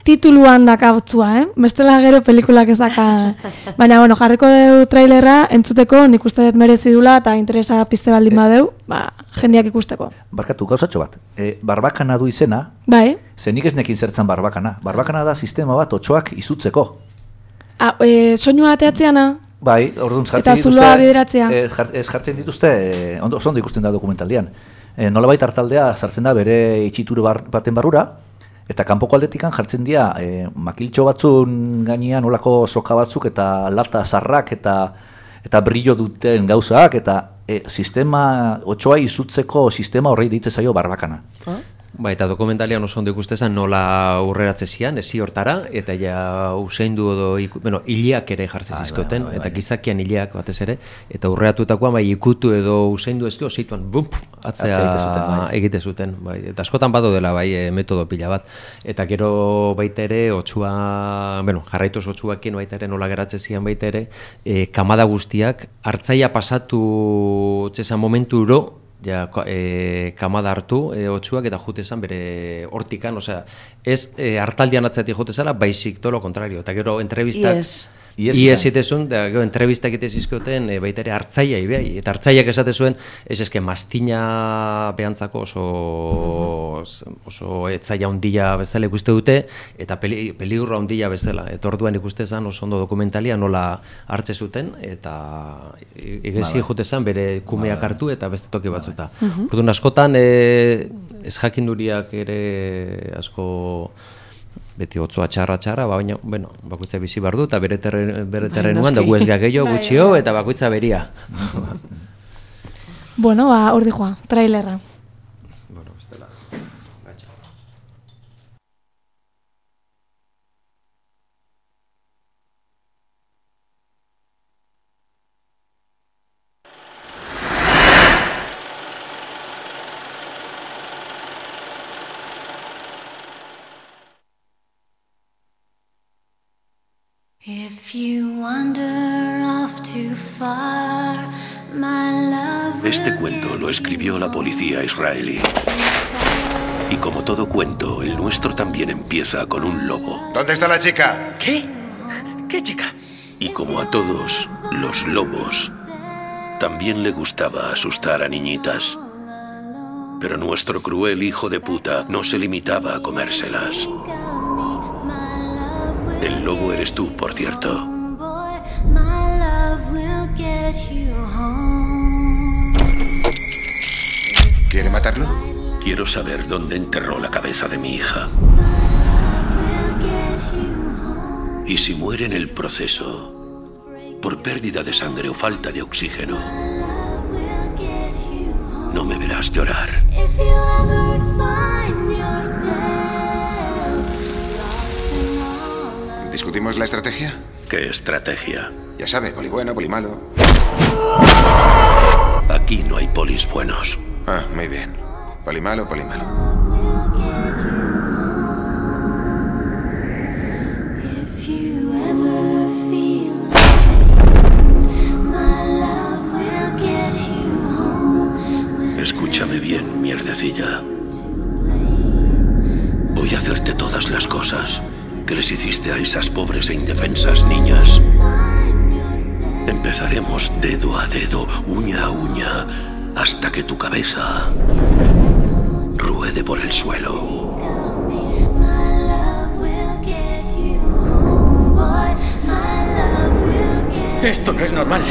tituluan daka otzua, eh? Bestela gero pelikulak ez daka. Baina, bueno, jarriko deu trailerra entzuteko, nik uste dut merezi dula eta interesa pizte baldin badeu, ba, jendeak ikusteko. Barkatu, gauzatxo bat. E, barbakana du izena, bai. Ze nik ez nekin zertzen barbakana. Barbakana da sistema bat otxoak izutzeko. Ah, e, soinua ateatzeana? Bai, orduan jartzen eta dituzte... zuloa bideratzea. Ez jar, jartzen dituzte, e, ondo, ondo ikusten da dokumentaldian. E, nolabait hartaldea sartzen da bere itxitur bar, baten barrura, eta kanpoko aldetikan jartzen dira e, makiltxo batzun gainean olako soka batzuk eta lata zarrak eta eta brillo duten gauzak eta e, sistema, otxoa izutzeko sistema horrei ditzen zaio barbakana. Ah? Ba, eta dokumentalian oso ondo ikustezan nola urreratze zian, ezi hortara, eta ja useindu edo, bueno, hileak ere jartzen zizkoten, eta gizakian hileak batez ere, eta urreatutakoan bai ikutu edo useindu ezkio, zeituan, bump, atzea egite zuten, bai, eta askotan bado dela, bai, e, metodo pila bat, eta gero baita ere, otxua, bueno, jarraituz otxuakin baita ere nola geratze zian baita ere, e, kamada guztiak, hartzaia pasatu txesan momenturo, ja, e, kamada hartu e, otxuak eta jute zan bere hortikan, osea, ez e, hartaldian atzatik jute zala, baizik tolo kontrario, eta gero entrevistak... Yes. Ies zitezun, da gero entrevistak egite zizkoten e, baita ere hartzaia ibai, eta hartzaiak esate zuen, ez eske mastina behantzako oso oso etzaia handia bezala ikuste dute, eta peli, peliurra handia bezala, eta orduan ikuste zan oso ondo dokumentalia nola hartze zuten, eta egezi jute zan bere kumeak hartu eta beste toki batzuta. Orduan askotan e, ez jakinduriak ere asko beti otzoa txarra-txarra, baina, bueno, bakoitza bizi behar du, eta bere terrenuan dugu ez gehiago gutxio, eta bakoitza beria. Bueno, ba, hor dijoa, trailerra. Bueno, bestela, gatxa. If you wander off too far, my love. Este cuento lo escribió la policía israelí. Y como todo cuento, el nuestro también empieza con un lobo. ¿Dónde está la chica? ¿Qué? ¿Qué chica? Y como a todos los lobos, también le gustaba asustar a niñitas. Pero nuestro cruel hijo de puta no se limitaba a comérselas. El lobo eres tú, por cierto. ¿Quiere matarlo? Quiero saber dónde enterró la cabeza de mi hija. Y si muere en el proceso, por pérdida de sangre o falta de oxígeno, no me verás llorar. ¿Discutimos la estrategia? ¿Qué estrategia? Ya sabe, poli bueno, poli malo. Aquí no hay polis buenos. Ah, muy bien. Poli malo, poli malo. Escúchame bien, mierdecilla. Voy a hacerte todas las cosas que les hiciste a esas pobres e indefensas niñas. Empezaremos dedo a dedo, uña a uña, hasta que tu cabeza ruede por el suelo. Esto no es normal.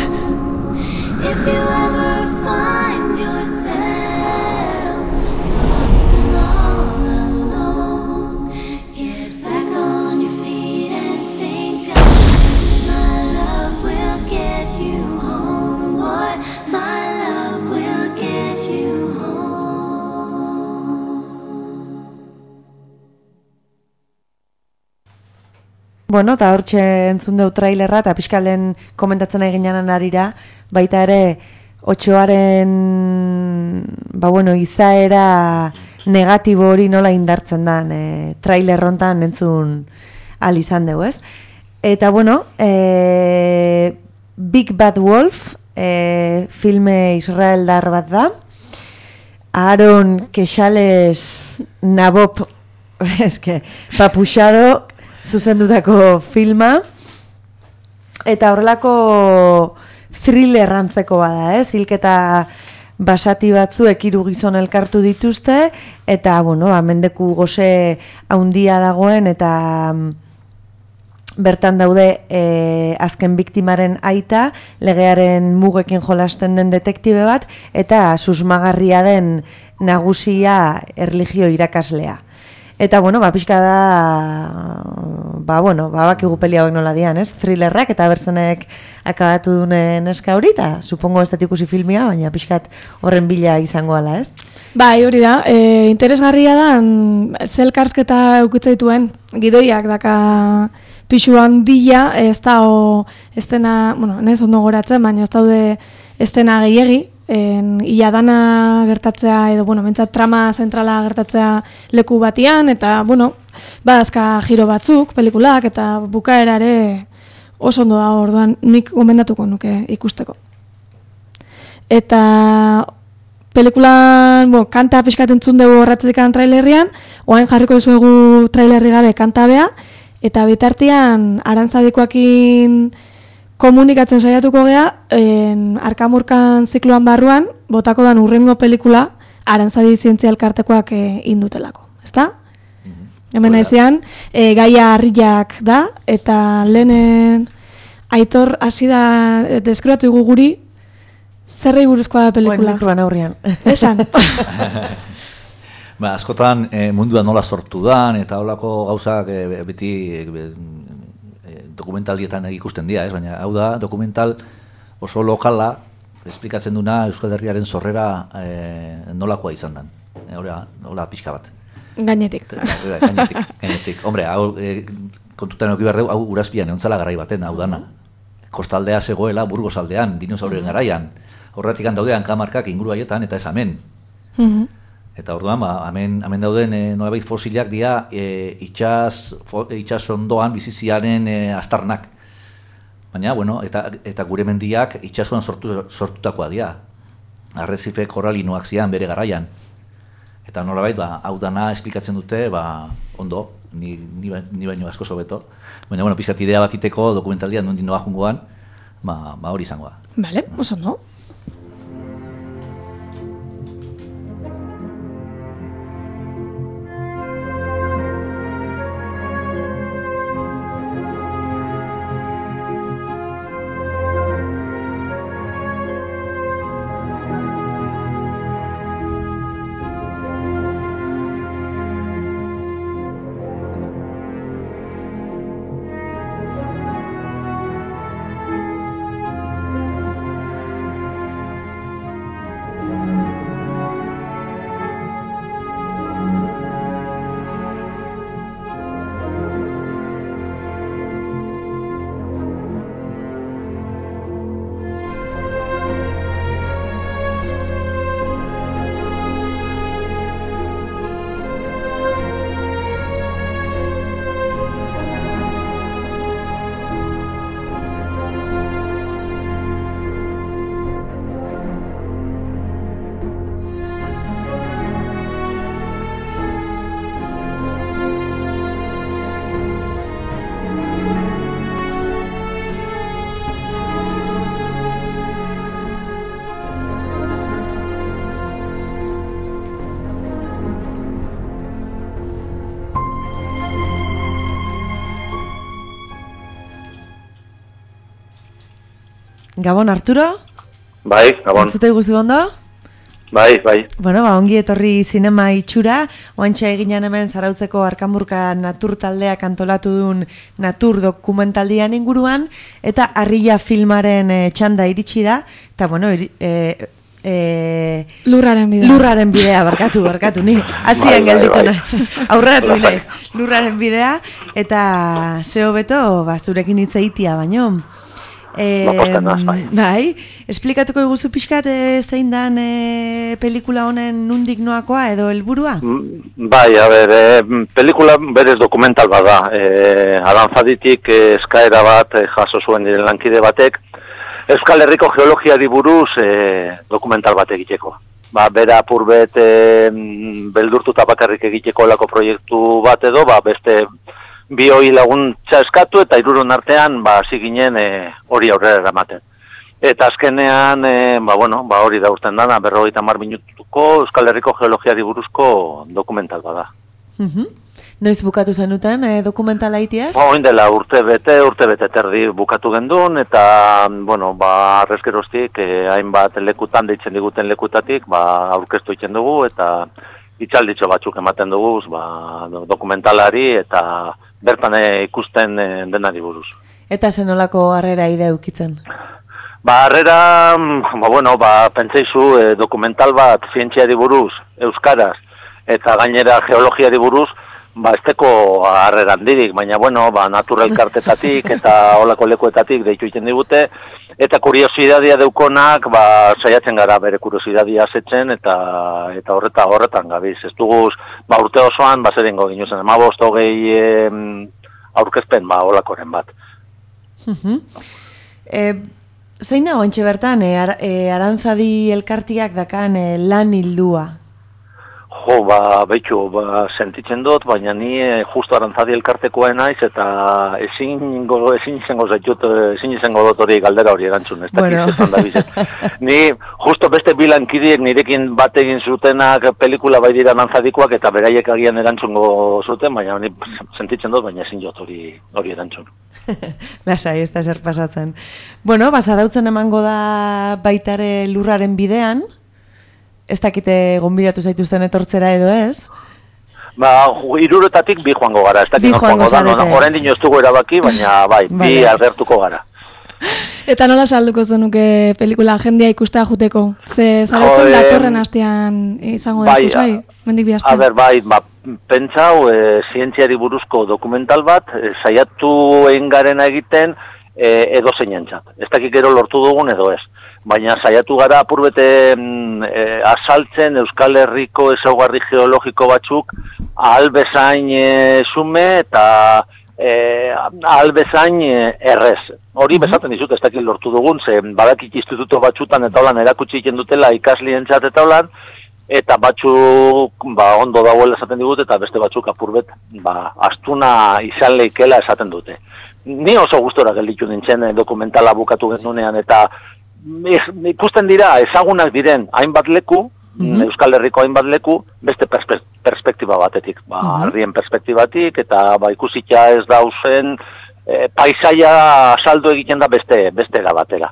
Bueno, eta hortxe entzun deu trailerra, eta pixkalen komentatzen eginan arira, baita ere, Otxoaren, ba bueno, izaera negatibo hori nola indartzen dan, e, trailer hontan entzun al izan dugu, ez? Eta, bueno, e, Big Bad Wolf, e, filme israeldar bat da, Aaron Kexales Nabob, eske, papuxado, zuzendutako filma, eta horrelako thriller antzeko bada, ez? Hilketa basati batzuek hiru gizon elkartu dituzte, eta, bueno, mendeku goze haundia dagoen, eta bertan daude e, azken biktimaren aita, legearen mugekin jolasten den detektibe bat, eta susmagarria den nagusia erlijio irakaslea. Eta, bueno, ba, pixka da, ba, bueno, ba, bakigu peli hauek nola dian, ez? Thrillerrak, eta berzenek akabatu duen eska hori, eta supongo ez dut ikusi filmia, baina pixkat horren bila izango ala, ez? Bai, hori da, e, interesgarria da, zelkarsketa eukitzaituen, gidoiak daka pixu handia, ez da, o, ez dena, bueno, ez ondo goratzen, baina ez daude ez dena gehiegi, En, ia dana gertatzea edo, bueno, mentzat trama zentrala gertatzea leku batian, eta, bueno, badazka giro batzuk, pelikulak, eta bukaerare oso ondo da, orduan nik gomendatuko nuke ikusteko. Eta pelikulan, bo, kanta pixkat entzun dugu horratzetik trailerrian, oain jarriko duzuegu trailerri gabe kanta bea, eta bitartean arantzadikoakin komunikatzen saiatuko gea, en, Arkamurkan zikloan barruan, botako dan urrengo pelikula, Arantzadi zientzia elkartekoak e, indutelako, ezta? Mm-hmm. Hemen ezean, e, gaia harriak da, eta lehenen Aitor hasi da e, deskribatu dugu guri, zerrei buruzkoa da pelikula. Oen mikroan aurrian. Esan. Ba, askotan e, mundua nola sortu dan, eta holako gauzak e, beti e, dokumentaldietan ikusten dira, ez? Baina hau da, dokumental oso lokala, esplikatzen duna Euskal Herriaren sorrera e, nolakoa izan dan. E, Hora, hola pixka bat. Gainetik. Gainetik, gainetik. Hombre, hau, e, kontutan euki behar dugu, hau urazpian eontzala garai baten, hau dana. Kostaldea zegoela, Burgos aldean, dinosaurien garaian. Horretik daudean kamarkak inguru haietan, eta ez hemen. Mm-hmm. Eta orduan, ba, hemen, hemen dauden e, nolabait fosilak dira e, itxas, fo, itxas ondoan biziziaren e, astarnak. Baina, bueno, eta, eta gure mendiak itxasuan sortu, sortutakoa dira. Arrezife koralinoak zian bere garaian. Eta nolabait, ba, hau dana esplikatzen dute, ba, ondo, ni, ni, ni baino asko sobeto. Baina, bueno, pizkat idea bat iteko dokumentaldian nondik noa jungoan, ba, ba hori izango da. Vale, oso ondo. Gabon, Arturo? Bai, Gabon. Entzute guzu ondo? Bai, bai. Bueno, ba, ongi etorri zinema itxura, oantxa eginan hemen Zarautzeko Arkamurka Natur taldeak antolatu duen Natur dokumentaldian inguruan, eta Harria filmaren e, txanda iritsi da, eta bueno, iri, e, E, lurraren bidea. Lurraren bidea, barkatu, barkatu, ni atzian geldituna. Aurreratu naiz. Lurraren bidea, eta zeo beto, ba, zurekin hitz egitea baino. E, bai, esplikatuko iguzu pixkat e, zein dan e, pelikula honen nundik noakoa edo helburua? Bai, a ber, e, pelikula berez dokumental bada. E, Arantzaditik e, eskaera bat e, jaso zuen diren lankide batek, Euskal Herriko geologiari buruz e, dokumental bat egiteko. Ba, bera apurbet e, beldurtuta bakarrik egiteko lako proiektu bat edo, ba, beste bi hoi laguntza eskatu eta hiruron artean ba hasi ginen hori e, aurrera eramaten. Eta azkenean e, ba bueno, ba hori da urten dana berrogeita hamar minutuko Euskal Herriko geologiari buruzko dokumental bada. Mhm. Noiz bukatu zenuten e, dokumentala itiaz? Ba, orain dela urte bete, urte bete terdi bukatu gendun eta bueno, ba arrezkeroztik e, hainbat lekutan deitzen diguten lekutatik, ba aurkeztu egiten dugu eta hitzalditxo batzuk ematen dugu, ba dokumentalari eta bertan ikusten denari buruz. Eta zenolako harrera ide eukitzen? Ba, harrera, ba, bueno, ba, pentseizu e, dokumental bat zientziari buruz, euskaraz, eta gainera geologiari buruz, ba, esteko harrera handirik, baina, bueno, ba, natural kartetatik eta olako lekuetatik deitu egiten digute, eta kuriosidadia deukonak, ba, saiatzen gara bere kuriosidadia asetzen, eta eta horreta horretan gabiz. Ez duguz, ba, urte osoan, ba, zer ingo ginuzen, emabost hogei em, aurkezpen, ba, olakoren bat. e, zein da ointxe bertan, e, ar, e, Arantzadi elkartiak dakan e, lan hildua? Jo, ba, behitxu, ba, sentitzen dut, baina ni e, justo Arantzadi elkartekoa naiz eta ezin izango zaitut, ezin izango dut hori galdera hori erantzun, ez bueno. dakit da bizet. Ni justo beste bilankidiek nirekin bat egin zutenak pelikula bai dira Arantzadikoak eta beraiek agian erantzungo zuten, baina ni sentitzen dut, baina ezin jot hori, hori erantzun. Lasai, ez da zer pasatzen. Bueno, bazadautzen emango da baitare lurraren bidean, ez dakite gonbidatu zaituzten etortzera edo ez? Ba, hiruretatik bi joango gara, ez dakit joango da, no, orain dino ez dugu erabaki, baina bai, bi vale. Agertuko gara. Eta nola salduko zenuke pelikula jendia ikustea juteko? Ze zaratzen datorren hastean izango da ikusgai, mendik bi hastean? A ber, bai, ba, pentsau, e, zientziari buruzko dokumental bat, e, saiatu egin garena egiten e, edo zeinentzat. Ez dakit gero lortu dugun edo ez. Baina saiatu gara apurbete e, asaltzen Euskal Herriko ezaugarri geologiko batzuk ahal bezain e, sume eta e, ahal bezain e, errez. Hori bezaten dizut, ez dakit lortu dugun, ze badakit instituto batzutan eta holan erakutsi egiten dutela ikaslientzat eta holan, eta batzuk ba, ondo dagoela esaten digut eta beste batzuk apurbet ba, astuna izan leikela esaten dute. Ni oso gustora gelditu nintzen dokumentala bukatu gendunean eta ikusten dira ezagunak diren hainbat leku, mm-hmm. Euskal Herriko hainbat leku, beste perspe perspektiba batetik, ba, mm-hmm. ardien perspektibatik, eta ba, ikusitza ez dauzen e, paisaia saldo egiten da beste, beste batera.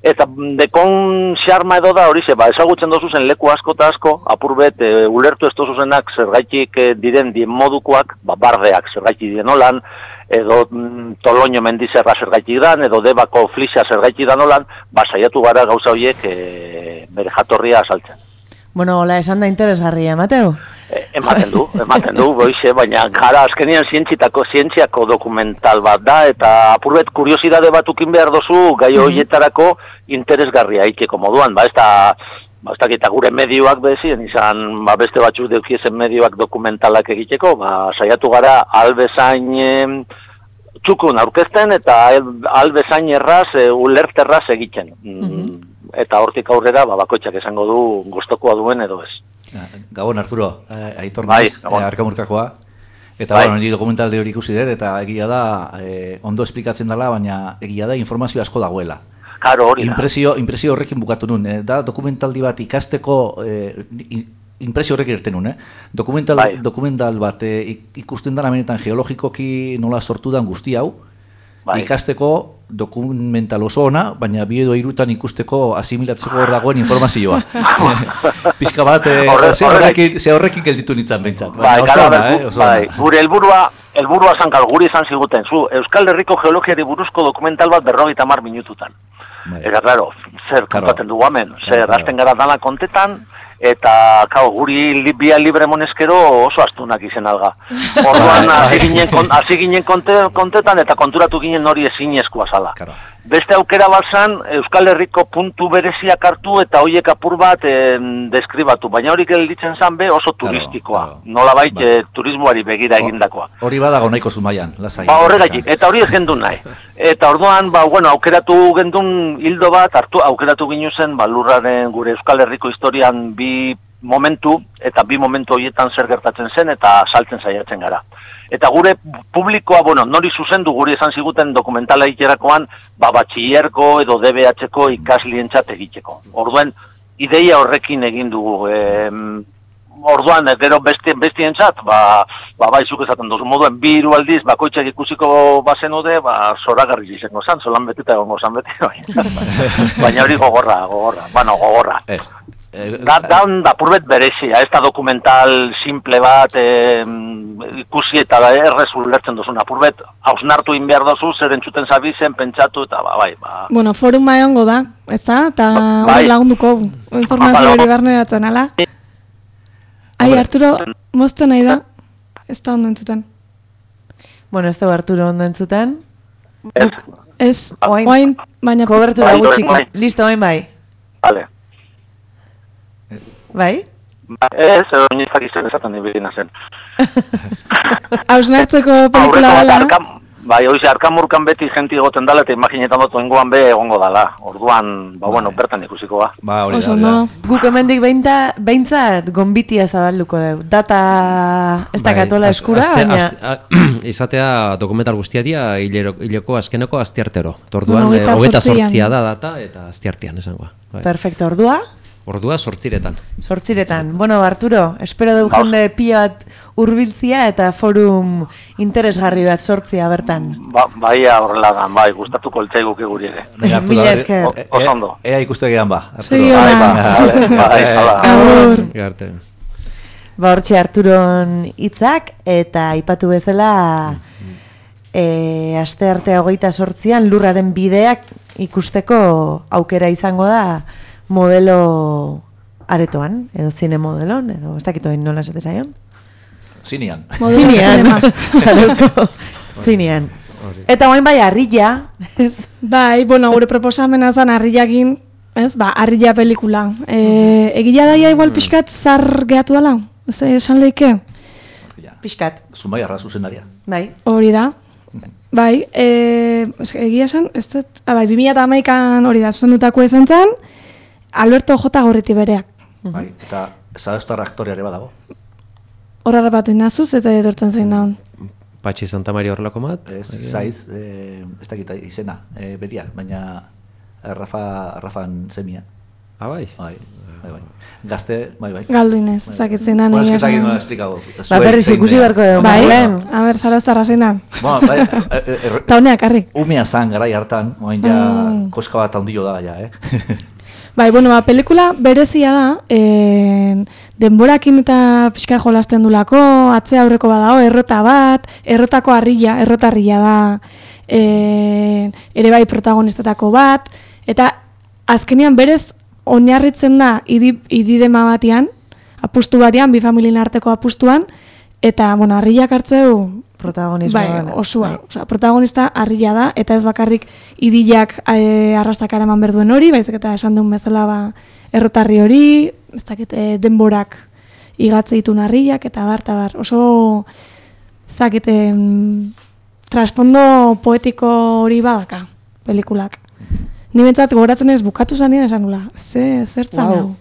Eta dekon xarma edo da hori ze, ba, ezagutzen dozu zen leku asko eta asko, apurbet, e, ulertu ez dozu zenak zergaitik e, diren dien modukoak, ba, bardeak zergaitik diren holan, edo mm, Toloño mendizerra zergaitik dan, edo Debako Flixa zergaitik dan holan, ba, saiatu gara gauza horiek e, bere jatorria asaltzen. Bueno, hola, esan da interesgarria, Mateo? E, ematen du, ematen du, boize, baina gara azkenean zientziako, zientziako dokumental bat da, eta apurbet kuriosidade batukin behar dozu gai horietarako interesgarria ikeko moduan, ba, ez da, ba, ez dakita gure medioak bezien, izan ba, beste batzuk deukiezen medioak dokumentalak egiteko, ba, saiatu gara albezain e, txukun aurkezten eta albezain erraz, e, ulerterraz egiten. Mm-hmm. Eta hortik aurrera, ba, bakoitzak esango du gustokoa duen edo ez. Gabon, Arturo, Aitor naiz, bai, Arkamurkakoa. Eta, bai. Bueno, niri dokumentalde hori ikusi dut, eta egia da, eh, ondo esplikatzen dela, baina egia da informazio asko dagoela. Claro, hori da. Impresio, impresio horrekin bukatu nun, eh, da dokumentaldi bat ikasteko, eh, impresio horrekin erten nun, eh? Dokumental, bai. Dokumental bat eh, ikusten dara benetan geologikoki nola sortu dan guzti hau, Bai. ikasteko dokumental oso ona, baina bi edo hirutan ikusteko asimilatzeko hor dagoen informazioa. Pizka bat, eh, Horre- ze horrekin, ze horrekin gelditu nintzen behintzat. Bai, Baina oso gara, ona, gu- eh, oso bai, ona. gure helburua, helburua zankal, guri izan ziguten, zu, Euskal Herriko geologiari buruzko dokumental bat berrogeita hamar minututan. Eta, claro, zer kontaten dugu hemen, zer, hasten gara dana kontetan, eta, kao, guri li, bia libre moneskero oso astunak izen alga. Orduan, hasi ginen, kon, hasi ginen konte, kontetan, eta konturatu ginen hori ezinezkoa zala. Beste aukera bat zan, Euskal Herriko puntu bereziak hartu eta hoiek apur bat eh, deskribatu, baina hori gelditzen zan be oso turistikoa, nolabait eh, turismoari begira egindakoa. Hori badago nahiko zumaian, lasai. Ba, horregatik, eta hori ez gendun nahi. Eta orduan, ba, bueno, aukeratu gendun hildo bat, hartu, aukeratu ginu zen, ba, lurraren gure Euskal Herriko historian bi momentu, eta bi momentu horietan zer gertatzen zen, eta saltzen saiatzen gara. Eta gure publikoa, bueno, nori zuzendu guri esan ziguten dokumentala ikerakoan, ba, batxillerko edo D B H-ko ikaslientzat egiteko. Orduen, ideia horrekin egin dugu, eh, orduan, gero besti, bestientzat, ba, ba, baizuk esaten duzu moduen, bi hiru aldiz, bakoitzak ikusiko bazenude, ba, zoragarri izango zan, zolan beteta egongo zan beti, baina hori gogorra, gogorra, bueno, gogorra. Ez. Da, da, da purbet berezia, ez da dokumental simple bat e, ikusi eta da errez ulertzen duzuna. Purbet, hausnartu in behar dozu, zer entzuten zabizen, pentsatu eta ba, bai, ba. Bueno, foruma egongo da, ez da? Eta Bai. hori lagunduko informazio hori barneratzen, ala? Ai, Arturo, mozten nahi da, ez da ondo entzuten. Bueno, ez da Arturo ondo entzuten. Ez. Ez, Oain, oain, baina... kobertura Bai, gutxiko. bai. Listo, oain bai. Vale. Bai? Ba, ez, edo nizak izan esaten nibirina zen. Hausnartzeko pelikula Aurreko dela. arkam, bai, oize, arkamurkan beti jenti egoten dala, eta imaginetan dut oingoan be egongo dala. Orduan, ba, bueno, bertan ikusiko ba. Ba, hori Oso da, hori da. ondo. Guk hemendik beinta, behintzat gonbitia zabalduko dugu. Data ez Bai, dakatola az- eskura, aste- baina... aste- a- izatea dokumental guztia dia hilero- hileko azkeneko astiartero. Orduan, Bueno, eh, hogeita zortzian. zortzia da data eta astiartean esangoa. Bai. Perfecto, ordua? Ordua sortziretan. Sortziretan. Bueno, Arturo, espero dugu jende pila bat hurbiltzia eta forum interesgarri bat sortzia bertan. Ba, bai, horrela da, bai, gustatuko eltzaiguke guri ere. Venga, Arturo, Mila a ver, esker. e- e- Oso ondo. Ea ikustegian ba. Arturo. Segi ona. Bai, ba, bai, hala. Agur. Garte. Ba, hortxe Arturon hitzak eta aipatu bezala e, aste arte hogeita sortzian lurraren bideak ikusteko aukera izango da modelo aretoan, edo zine modelon, edo ez dakitoen nola esate zaion. Zinean. Modelo Zinean. zinema. Zarauzko zinean. Eta oain bai harrilla, ez? Bai, bueno, gure proposamena zan harriakin, ez, ba, harrilla pelikula. E, egila daia igual pixkat zar gehatu dela, ez esan leike? Pixkat. Zumbai arra zuzendaria. Bai. Hori da. Bai, e, egia esan, ez dut, ah, bai, bi mila hamaikan hori da, zuzendutako izan zen, Alberto J. Gorriti bereak. Bai, eta Zarauztar aktoreare badago. Horra rapatu inazuz, eta etortzen zein daun. Patxi Santa Maria horrelako mat? Ez, zaiz, eh, ez dakit izena, eh, beria, baina Rafa, Rafan semia. Ah, bai? Bai, bai, bai. Gazte, bai, bai. Galdu inez, ez dakit zein da. Bueno, ez que zakit nola esplikago. Ba, berriz ikusi beharko dugu, Bai, Marlen. a ber, Zarauztarra zein da. Bueno, bai, eh, eh, Ta honeak, harri. umea zan garai hartan, oain ja Mm. koska bat handio da, ja, eh? Bai, bueno, ba, pelikula berezia da, e, denborakin eta pixka jolasten dulako, atzea aurreko badao, errota bat, errotako harrilla, errotarrilla da, e, ere bai protagonistetako bat, eta azkenean berez oinarritzen da idi, ididema batean, apustu batean, bi familien arteko apustuan, eta, bueno, harrillak hartzeu, protagonismoa. bai, osua, osea, protagonista harrilla da, eta ez bakarrik idilak e, arrastak eraman berduen hori, baizik eta esan duen bezala ba, errotarri hori, ez dakit, e, denborak igatze ditun harrillak, eta bar, eta bar, oso, ez dakit, em, trasfondo poetiko hori badaka, pelikulak. Ni bentsat gogoratzen ez bukatu zanien esan nula, ze, zertzan hau.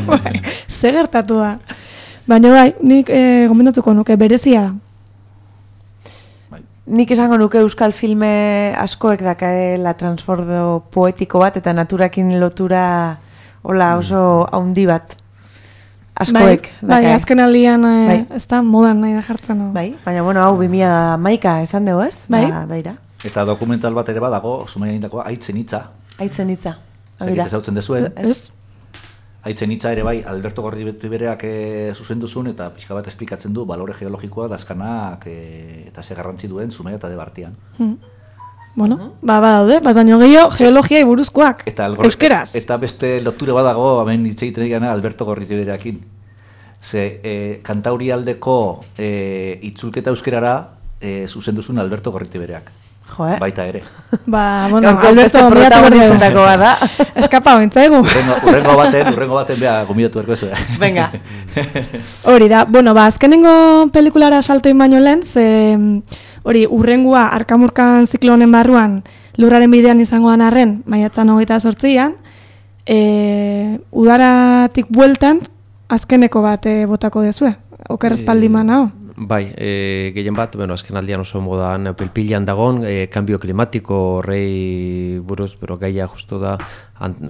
Wow. Ze gertatu da. Baina bai, nik e, gomendatuko nuke, berezia da. Nik esango nuke euskal filme askoek dakaela transfordo poetiko bat eta naturakin lotura hola oso haundi bat. Askoek Bai, bai azken aldian e, Bai. ez da modan nahi da jartzen. No? Bai, baina bueno, hau bi mila hamaika esan dugu ez? Bai. Ba, baira. Eta dokumental bat ere badago, Zumaian indakoa, Aitzen hitza. Aitzen hitza. Zagit ezautzen dezuen. Ez. Aitzen hitza ere bai, Alberto Gorriberak e, zuzenduzun eta pixka bat esplikatzen du balore geologikoa dazkanak e, eta ze garrantzi duen Zumaia eta Debartian. Hmm. Bueno, ba, badaude, bat baino gehiago geologiai buruzkoak, eta euskeraz. Eta beste loture badago, hemen hitz egiten egana Alberto Gorriberakin. Ze e, Kantaurialdeko e, itzulketa euskerara e, zuzenduzun Alberto Gorriberaak. Jo, eh? Baita ere. Ba, bueno, Gaurko Alberto beste gomidatu protagonistentako berdu. bada. Eskapa bintzaigu. Urrengo, urrengo baten, urrengo baten beha gomidatu berko zuen. Venga. Hori da, bueno, ba, azkenengo pelikulara saltoin baino lehen, ze hori urrengua arkamurkan ziklonen barruan lurraren bidean izangoan arren, maiatzan hogeita sortzian, e, udaratik bueltan azkeneko bat e, botako dezue, oker espaldi manao. Bai, e, gehien bat, bueno, azken aldian oso modan pilpilan dagon, e, kambio klimatiko horrei buruz, pero gaia justu da,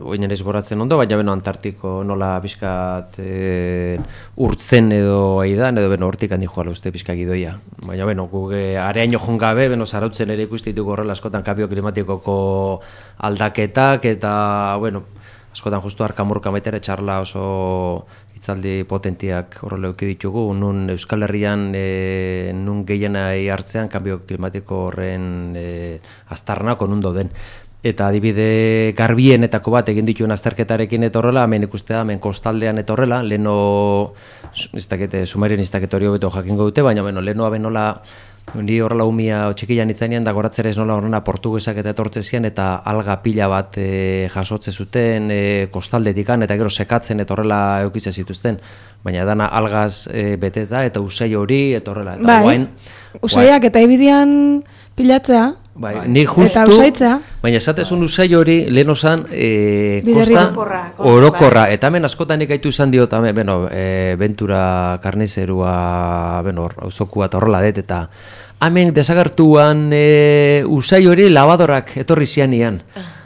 oinen ez goratzen ondo, baina beno Antartiko nola pixkat e, urtzen edo aidan, edo beno hortik handi joala uste pixka gidoia. Baina beno, guge areaino jon gabe, beno zarautzen ere ikustitu horrela askotan kambio klimatikoko aldaketak, eta, bueno, askotan justu arkamurka maitere txarla oso hitzaldi potentiak horrela euki ditugu, nun Euskal Herrian e, nun gehienai hartzean kambio klimatiko horren e, aztarnako nun doden. Eta adibide garbienetako bat egin dituen azterketarekin eta horrela, hemen ikustea, hemen kostaldean eta horrela, leheno, ez dakete, Sumarien ez dakete hori hobeto jakingo dute, baina bueno, leheno abenola, ni horrela umia txikian itzainean da goratzera ez nola horrena portugesak eta etortze zian eta alga pila bat e, jasotze zuten e, kostaldetikan eta gero sekatzen eta horrela eukitze zituzten, baina dana algaz e, beteta eta usai hori eta horrela. Eta bai, guain, usaiak eta ibidian pilatzea, bai, ni justu, eta usaitzea. Baina esatezun usai hori lehen osan e, Biderri kosta orokorra, orokorra, eta hemen askotan ikaitu izan diot, hemen, bueno, e, Ventura Karnizerua, bueno, auzoku bat horrela det, eta hemen desagertuan e, usai hori labadorak etorri zianian.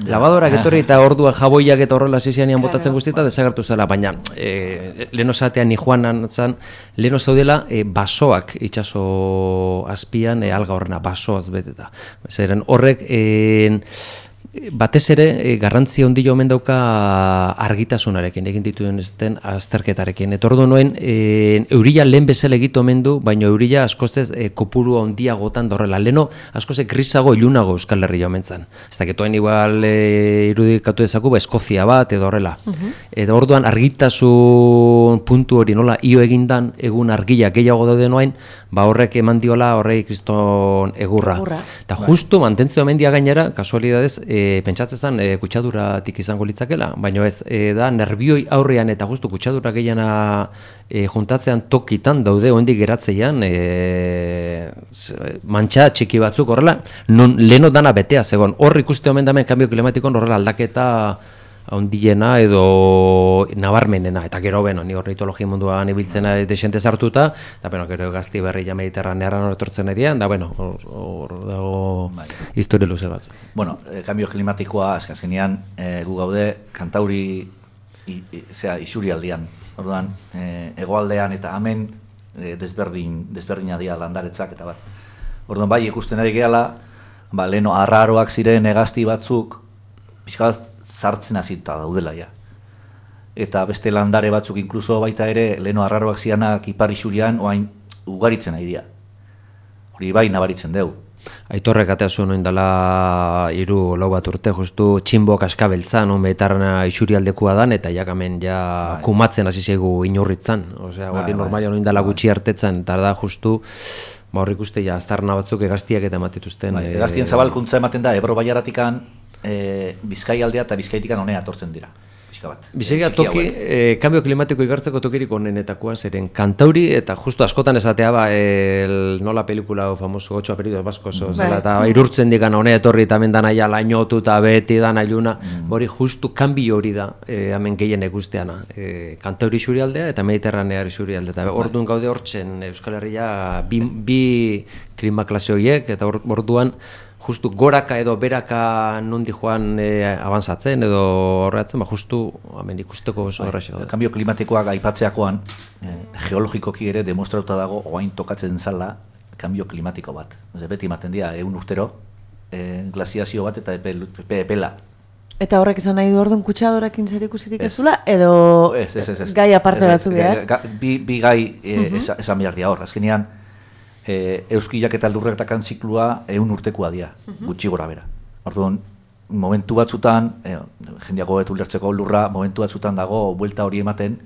Labadorak etorri eta orduan jaboiak eta horrela zianian botatzen guztieta desagertu zela, baina e, lehen osatean ni joanan zan, lehen osaudela e, basoak itxaso azpian e, alga horrena, basoaz beteta. Zeren horrek e, batez ere e, garrantzi handia omen dauka argitasunarekin egin dituen ezten azterketarekin. Eta ordu noen e, eurila lehen bezala egite omen du, baina eurila askozez e, kopuru handiagotan dorrela. Leno askozez grisago ilunago Euskal Herria omen zan. Ez daketoen igual e, irudikatu dezaku, ba, Eskozia bat edo horrela. Uh-huh. Eta orduan argitasun puntu hori nola io egindan egun argia gehiago daude noain, ba horrek eman diola horrei kriston egurra. Eta justu mantentzea omen dia gainera, kasualidadez, E, pentsatzen e, kutsaduratik izango litzakela, baina ez, e, da nerbioi aurrean eta justu kutsadura gehiana e, juntatzean tokitan daude ondik geratzeian e, mantxa txiki batzuk horrela, non leno dana betea zegoen, hor ikuste omen damen kambio klimatikon horrela aldaketa handiena edo nabarmenena, eta gero beno, ni ornitologia munduan ibiltzena desente sartuta, eta beno, gero gazti berri ja mediterranearan etortzen edian, da beno, hor dago historia luze bat. Bueno, eh, kambio klimatikoa, azkenean, eh, gu gaude, Kantauri i, i, zera, isurialdean, orduan, eh, hegoaldean eta hemen eh, desberdin, desberdina dira landaretzak, eta bat. Orduan, bai, ikusten ari gehala, ba, leheno arraroak ziren hegazti batzuk, pixka bat, sartzen hasita daudela ja. Eta beste landare batzuk inkluso baita ere leheno arraroak zianak ipar isurian oain ugaritzen ari dira. Hori bai nabaritzen deu. Aitorrek atea zuen oin dela hiru lau bat urte, justu txinbok askabeltzan, un metarna isurialdekoa dan, eta jakamen ja bai. Kumatzen hasi zaigu inurritzan. Osea, hori bai, normalian oin dela gutxi hartetzen, eta da justu ba hor ikuste ja aztarna batzuk egaztiak eta ematituzten. Bai, egaztien zabalkuntza ematen da Ebro bailaratikan E, Bizkai aldea eta Bizkaitikan honea atortzen dira. Bizkaia toki, e, kambio klimatiko igartzeko tokirik onenetakoa zeren Kantauri eta justu askotan esatea ba, el, nola pelikula famoso ocho apellidos vascos zela, eta irurtzen digan honea etorri eta hemen dana ja lainotu eta beti dana iluna, mm. hori justu kanbio hori da e, hemen gehien ikusteana. E, Kantauri isurialdea eta Mediterranea isurialdea, eta orduan gaude hortzen Euskal Herria bi, bi klima klase horiek, eta orduan justu goraka edo beraka nondi joan e, avanzatzen edo horretzen, ba justu hemen ikusteko oso horrexo. Kambio klimatikoak aipatzeakoan e, geologikoki ere demostratuta dago orain tokatzen zala kambio klimatiko bat. Beti ematen dira ehun urtero e, glaziazio bat eta epel, epe, epela. Eta horrek izan nahi du orduan kutsadorekin zer ikusirik ez zula, edo ez, ez, ez, ez. gai aparte ez, batzuk behar? Ga, bi, bi gai e, Uh-huh. esan esa behar dira hor. Azkenean, e, euskilak eta lurretakan ziklua ehun urtekoa dira, Uh-huh. gutxi gora bera. Orduan, momentu batzutan, e, jendeago betu lertzeko lurra, momentu batzutan dago buelta hori ematen,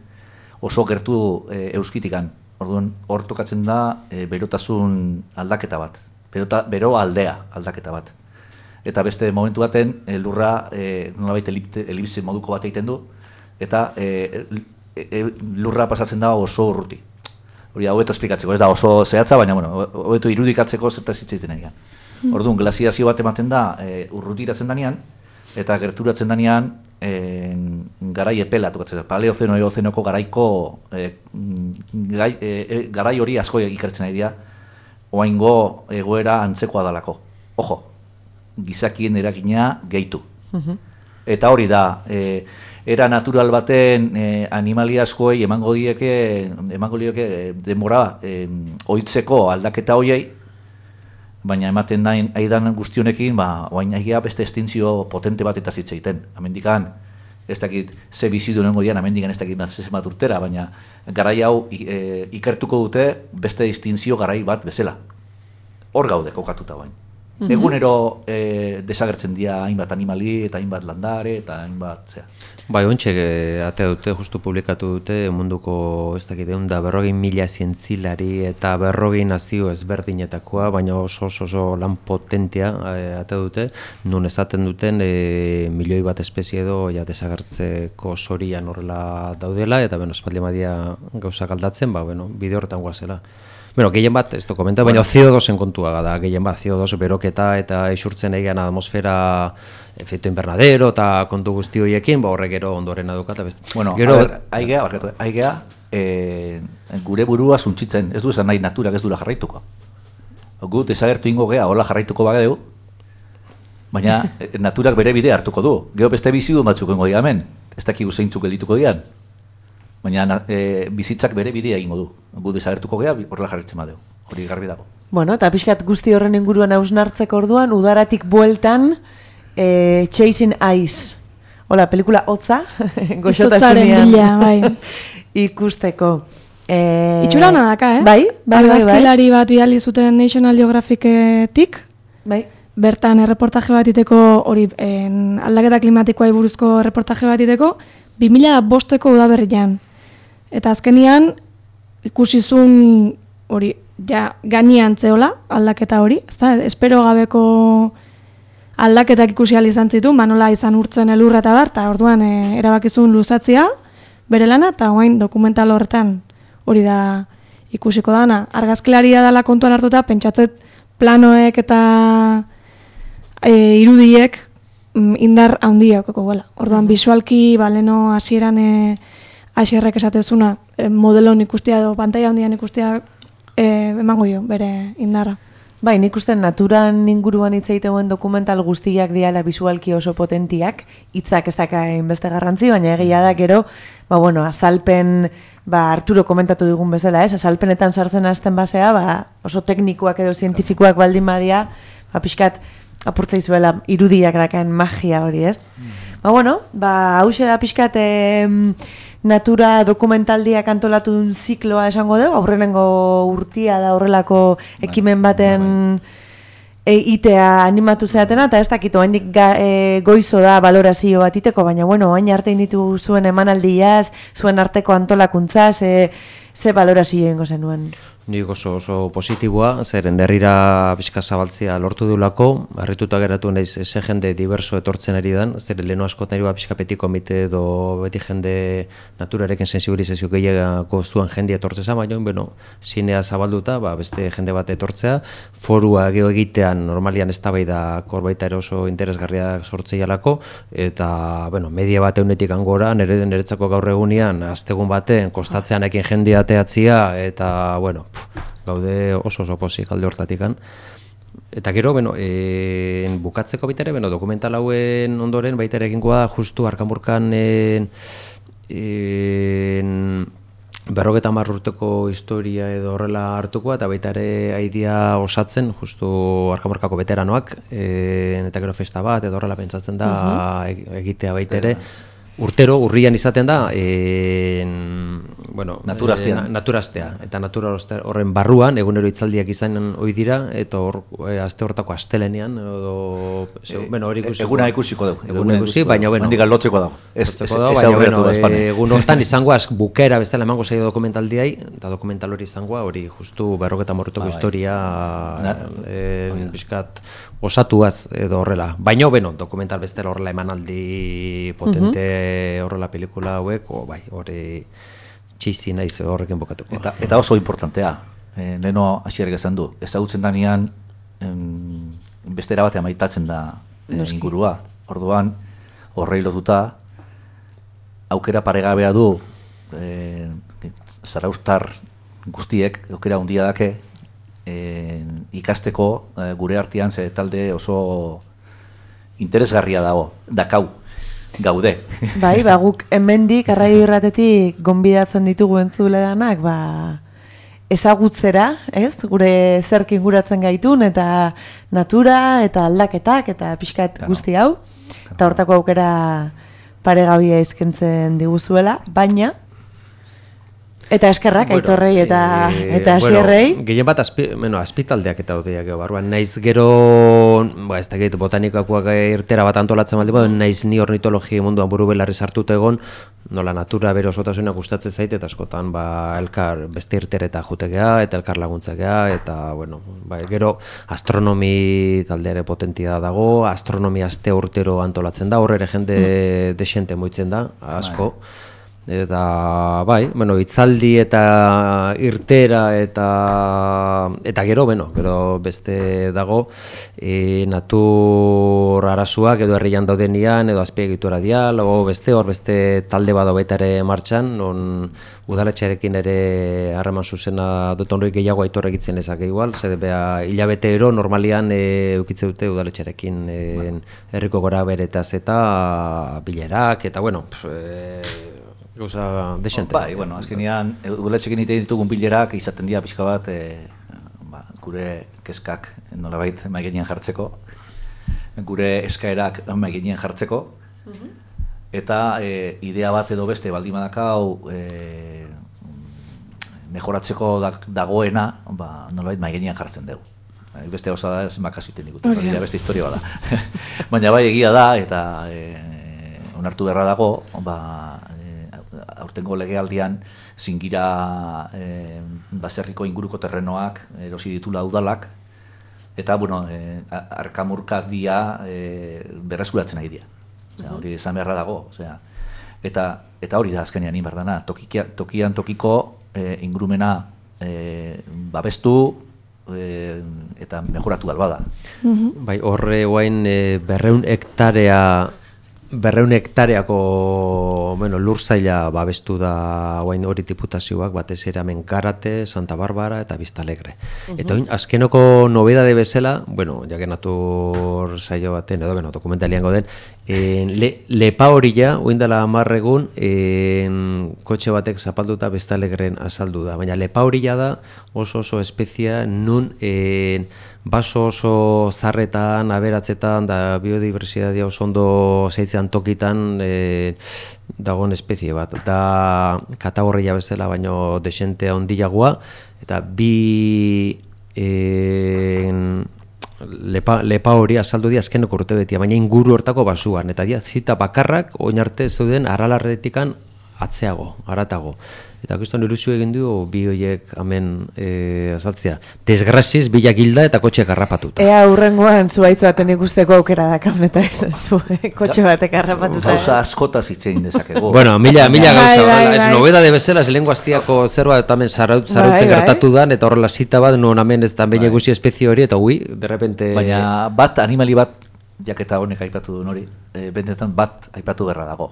oso gertu e, euskitikan. Orduan, hor tokatzen da e, berotasun aldaketa bat. Berota, bero aldea aldaketa bat. Eta beste momentu baten e, lurra e, nolabait elipse moduko bat egiten du, eta e, e, e, lurra pasatzen da oso urruti. Hori hobeto esplikatzeko, ez da oso zehatza, baina bueno, hobeto irudikatzeko zertaz hitz egiten egian. Orduan, glaziazio bat ematen da e, urrutiratzen danean, eta gerturatzen danean e, garai epela tokatzen da. Paleozeno eozenoko garaiko e, gai, e, garai hori asko ikertzen nahi dira, oaingo egoera antzekoa dalako. Ojo, gizakien eragina gehitu. Uh-huh. Eta hori da, e, era natural baten e, animali askoei emango dieke, emango dieke e, denbora e, ohitzeko aldaketa hoiei, baina ematen nahi aidan guztionekin, ba, oain egia beste estintzio potente bat eta zitza egiten. Amendikan, ez dakit ze bizidu nengo dian, amendikan ez dakit bat urtera, baina garai hau e, ikertuko dute beste estintzio garai bat bezala. Hor gaude kokatuta bain. Mhm. Egunero e, desagertzen dira hainbat animali eta hainbat landare eta hainbat zea. Bai, ontxe atea dute, justu publikatu dute munduko, ez dakit, egun da berrogin mila zientzilari eta berrogin nazio ezberdinetakoa, baina oso oso, oso lan potentia e, atea dute, nun esaten duten e, milioi bat espezie edo ja desagertzeko zorian horrela daudela, eta bueno, espaldi madia gauzak aldatzen, ba, bueno, bide horretan guazela. Bueno, gehien bat, ez du komenta, baina C O dosen kontua da, gehien bat, C O dos beroketa eta isurtzen egian atmosfera efecto invernadero eta kontu guzti horiekin, ba horrek gero ondoren adukat. Bueno, gero, a ber, aigea, barkatu, aigea, e, gure burua suntzitzen, ez du esan nahi naturak ez dula jarraituko. Gu desagertu ingo gea, hola jarraituko bageu, baina naturak bere bide hartuko du. Gero beste bizidun batzuk ingo dira hemen, ez dakigu zeintzuk geldituko dian. Baina e, bizitzak bere bidea egingo du. Gu desagertuko gea, horrela jarritzen badeu. Hori garbi dago. Bueno, eta pixkat guzti horren inguruan hausnartzeko orduan, udaratik bueltan, e, Chasing Ice. Hola, pelikula hotza, goxotasunean bila, bai. ikusteko. E, Itxura hona daka, eh? Bai, bai, bai. Argazkilari bat bidali zuten National Geographicetik. Bai. Bertan erreportaje bat iteko, hori en, aldaketa klimatikoa buruzko erreportaje bat iteko, bi mila bosteko udaberrian. Eta azkenian, ikusizun hori, ja, gainean zeola, aldaketa hori, ezta? Espero gabeko aldaketak ikusi ahal izan zitu, manola izan urtzen elurra eta bar, eta orduan e, erabakizun luzatzia, bere lana, eta orain dokumental horretan hori da ikusiko dana. Argazkilaria dela kontuan hartuta, pentsatzet planoek eta e, irudiek mm, indar handia okeko gela. Orduan, bisualki, baleno hasieran e, Aixerrek esatezuna, e, modelon ikustea edo pantaila handian ikustea e, emango jo, bere indarra. Bai, nik uste naturan inguruan hitz egiteuen dokumental guztiak diala bisualki oso potentiak, hitzak ez dakain beste garrantzi, baina egia da gero, ba bueno, azalpen, ba Arturo komentatu digun bezala, ez, azalpenetan sartzen hasten basea, ba oso teknikoak edo zientifikoak baldin badia, ba pixkat apurtza izuela irudiak dakaen magia hori, ez? Mm. Ba bueno, ba hauxe da pixkat eh, natura dokumentaldiak antolatu duen zikloa esango dugu, aurrenengo urtia da horrelako ekimen baten e, itea animatu zeatena, eta ez dakit, oaindik e, goizo da balorazio bat iteko, baina bueno, oain arte inditu zuen emanaldiaz, zuen arteko antolakuntzaz, e, ze balorazio ingo zenuen? Nik oso oso positiboa, zeren herrira pixka zabaltzea lortu dulako, harrituta geratu naiz ze jende diverso etortzen ari dan, zeren leheno askotan eri pixka petit komite edo beti jende naturarekin sensibilizazio gehiagako zuen jende etortzeza, baina bueno, zinea zabalduta, ba, beste jende bat etortzea, forua geho egitean normalian eztabaida korbaita ere oso interesgarriak sortzeialako, eta bueno, media bat eunetik angora, nire niretzako gaur egunean, astegun baten, kostatzean ekin jendea ateatzia, eta bueno, gaude oso oso pozik alde hortatikan. Eta gero, bueno, e, bukatzeko baita ere, bueno, dokumental hauen ondoren baita ere egingoa da justu Arkamurkan en, en, berrogeta hamar urteko historia edo horrela hartuko, eta baita ere aidia osatzen, justu Arkamorkako veteranoak, e, eta gero festa bat, edo horrela pentsatzen da uh-huh. egitea baita ere. Urtero, urrian izaten da, e, bueno, naturaztea. E, naturaztea. Eta natura horren barruan, egunero hitzaldiak izanen ohi dira, eta hor, e, aste hortako astelenean, edo, e, bueno, hori ikusiko. Eguna ikusiko dugu. Eguna ikusi, baina, bueno. Handik lotzeko dago. Ez, ez, ez, baina, bueno, e, egun hortan izangoa, bukera bezala emango zaio dokumentaldiai, eta dokumental hori izangoa, hori justu berrogeta morretoko ba, historia, e, bizkat, osatuaz edo horrela. Baina, bueno, dokumental bestela horrela emanaldi potente uh-huh. horrela pelikula hauek, o bai, hori txizi naiz horrekin bokatuko. Eta, eta oso importantea, e, leheno hasierrek esan du, ezagutzen danean bestera batean maitatzen da e, ingurua. Orduan, horrei lotuta, aukera paregabea du e, zaraustar guztiek, aukera handia dake, E, ikasteko e, gure artean ze talde oso interesgarria dago, dakau, gaude. Bai, ba, guk hemendik Arraio Irratetik gonbidatzen ditugu entzuledanak, ba, ezagutzera, ez? Gure zerk inguratzen gaitun, eta natura, eta aldaketak, eta pixkat claro. Guzti hau. Claro. Eta hortako aukera paregabia eskaintzen diguzuela, baina eta eskerrak, bueno, Aitorrei eta e, eta Asierrei. Bueno, gehien bat azpi, bueno, azpitaldeak eta odeak barruan. Naiz gero, ba, ez da gehit, botanikakoak irtera bat antolatzen baldi, mm. naiz ni ornitologia munduan buru belarri sartuta egon, nola natura bere osotasunak gustatzen zait, eta askotan ba, elkar beste irtereta jutegea, eta elkar laguntzakea, eta bueno, ba, gero astronomi taldeare potentia dago, astronomia aste urtero antolatzen da, horre ere jende mm. desente moitzen da, asko. Bai. Eta, bai, bueno, itzaldi eta irtera eta eta gero, bueno, gero beste dago e, natur arasuak edo herrian daudenian edo azpiegitura dial, o beste hor beste talde bado baita ere martxan, non udaletxearekin ere harreman zuzena dut honroi gehiago Aitor egitzen ezak igual, zer beha hilabetero normalian e, eukitze dute udaletxearekin e, herriko gora beretaz eta bilerak, eta bueno, pff, e, gauza desente. Oh, bai, bueno, azkenean, udaletxekin egiten ditugun bilerak izaten dira pixka bat, e, ba, gure kezkak nolabait maigenean jartzeko, gure eskaerak maigenean jartzeko, uh-huh. eta e, idea bat edo beste baldin badakau e, mejoratzeko dagoena, ba, nolabait maigenean jartzen dugu. Beste gauza da, zenbak azuten digutu, oh, yeah. beste historia bada. Baina bai egia da, eta e, onartu beharra dago, ba, aurtengo legealdian zingira e, baserriko inguruko terrenoak erosi ditula udalak, eta bueno, e, arkamurkak dia e, berreskuratzen nahi dira. Osea, hori esan beharra dago, osea, eta eta hori da azkenean inberdana, tokian, tokian tokiko e, ingurumena e, babestu e, eta mejoratu dalbada. Uh-huh. Bai, horre guain e, berreun hektarea Berreun hektareako bueno, lur zaila babestu da guain hori diputazioak, batez ere hemen Karate, Santa Barbara eta Biztalegre. Uh-huh. Eta oin, azkenoko nobedade bezala, bueno, jake natur saio baten, edo, bueno, dokumentalian gauden, le, lepa hori ja, oin dela amarregun, kotxe batek zapalduta Biztalegren azaldu da. Baina lepa hori ja da oso oso espezia nun en, baso oso zarretan, aberatzetan, da biodiversitatea oso ondo zeitzean tokitan e, dagoen espezie bat. Da katagorria bezala baino desente handiagoa, eta bi e, lepa, lepa hori azaldu di azkeneko urte betia, baina inguru hortako basuan, eta dia zita bakarrak oin arte zeuden aralarretikan atzeago, aratago. Eta kriston ilusio egin du bi horiek hemen e, azaltzea. Desgraziz, bilak hilda eta kotxeak harrapatuta. Ea hurrengoan zuaitz baten ikusteko aukera dakam, eta ez zu, kotxe batek harrapatuta. Gauza askotaz itzein dezakegu. Bueno, mila, mila gauza, bai, bai, ez nobeda de bezala, ez lehenko aztiako zerbait eta hemen zarautzen bai, gertatu dan, eta horrela zita bat, non hemen ez da behin egusi espezie hori, eta hui, de repente... Baina bat, animali bat, jaketa honek aipatu duen hori, e, bendetan bat aipatu berra dago.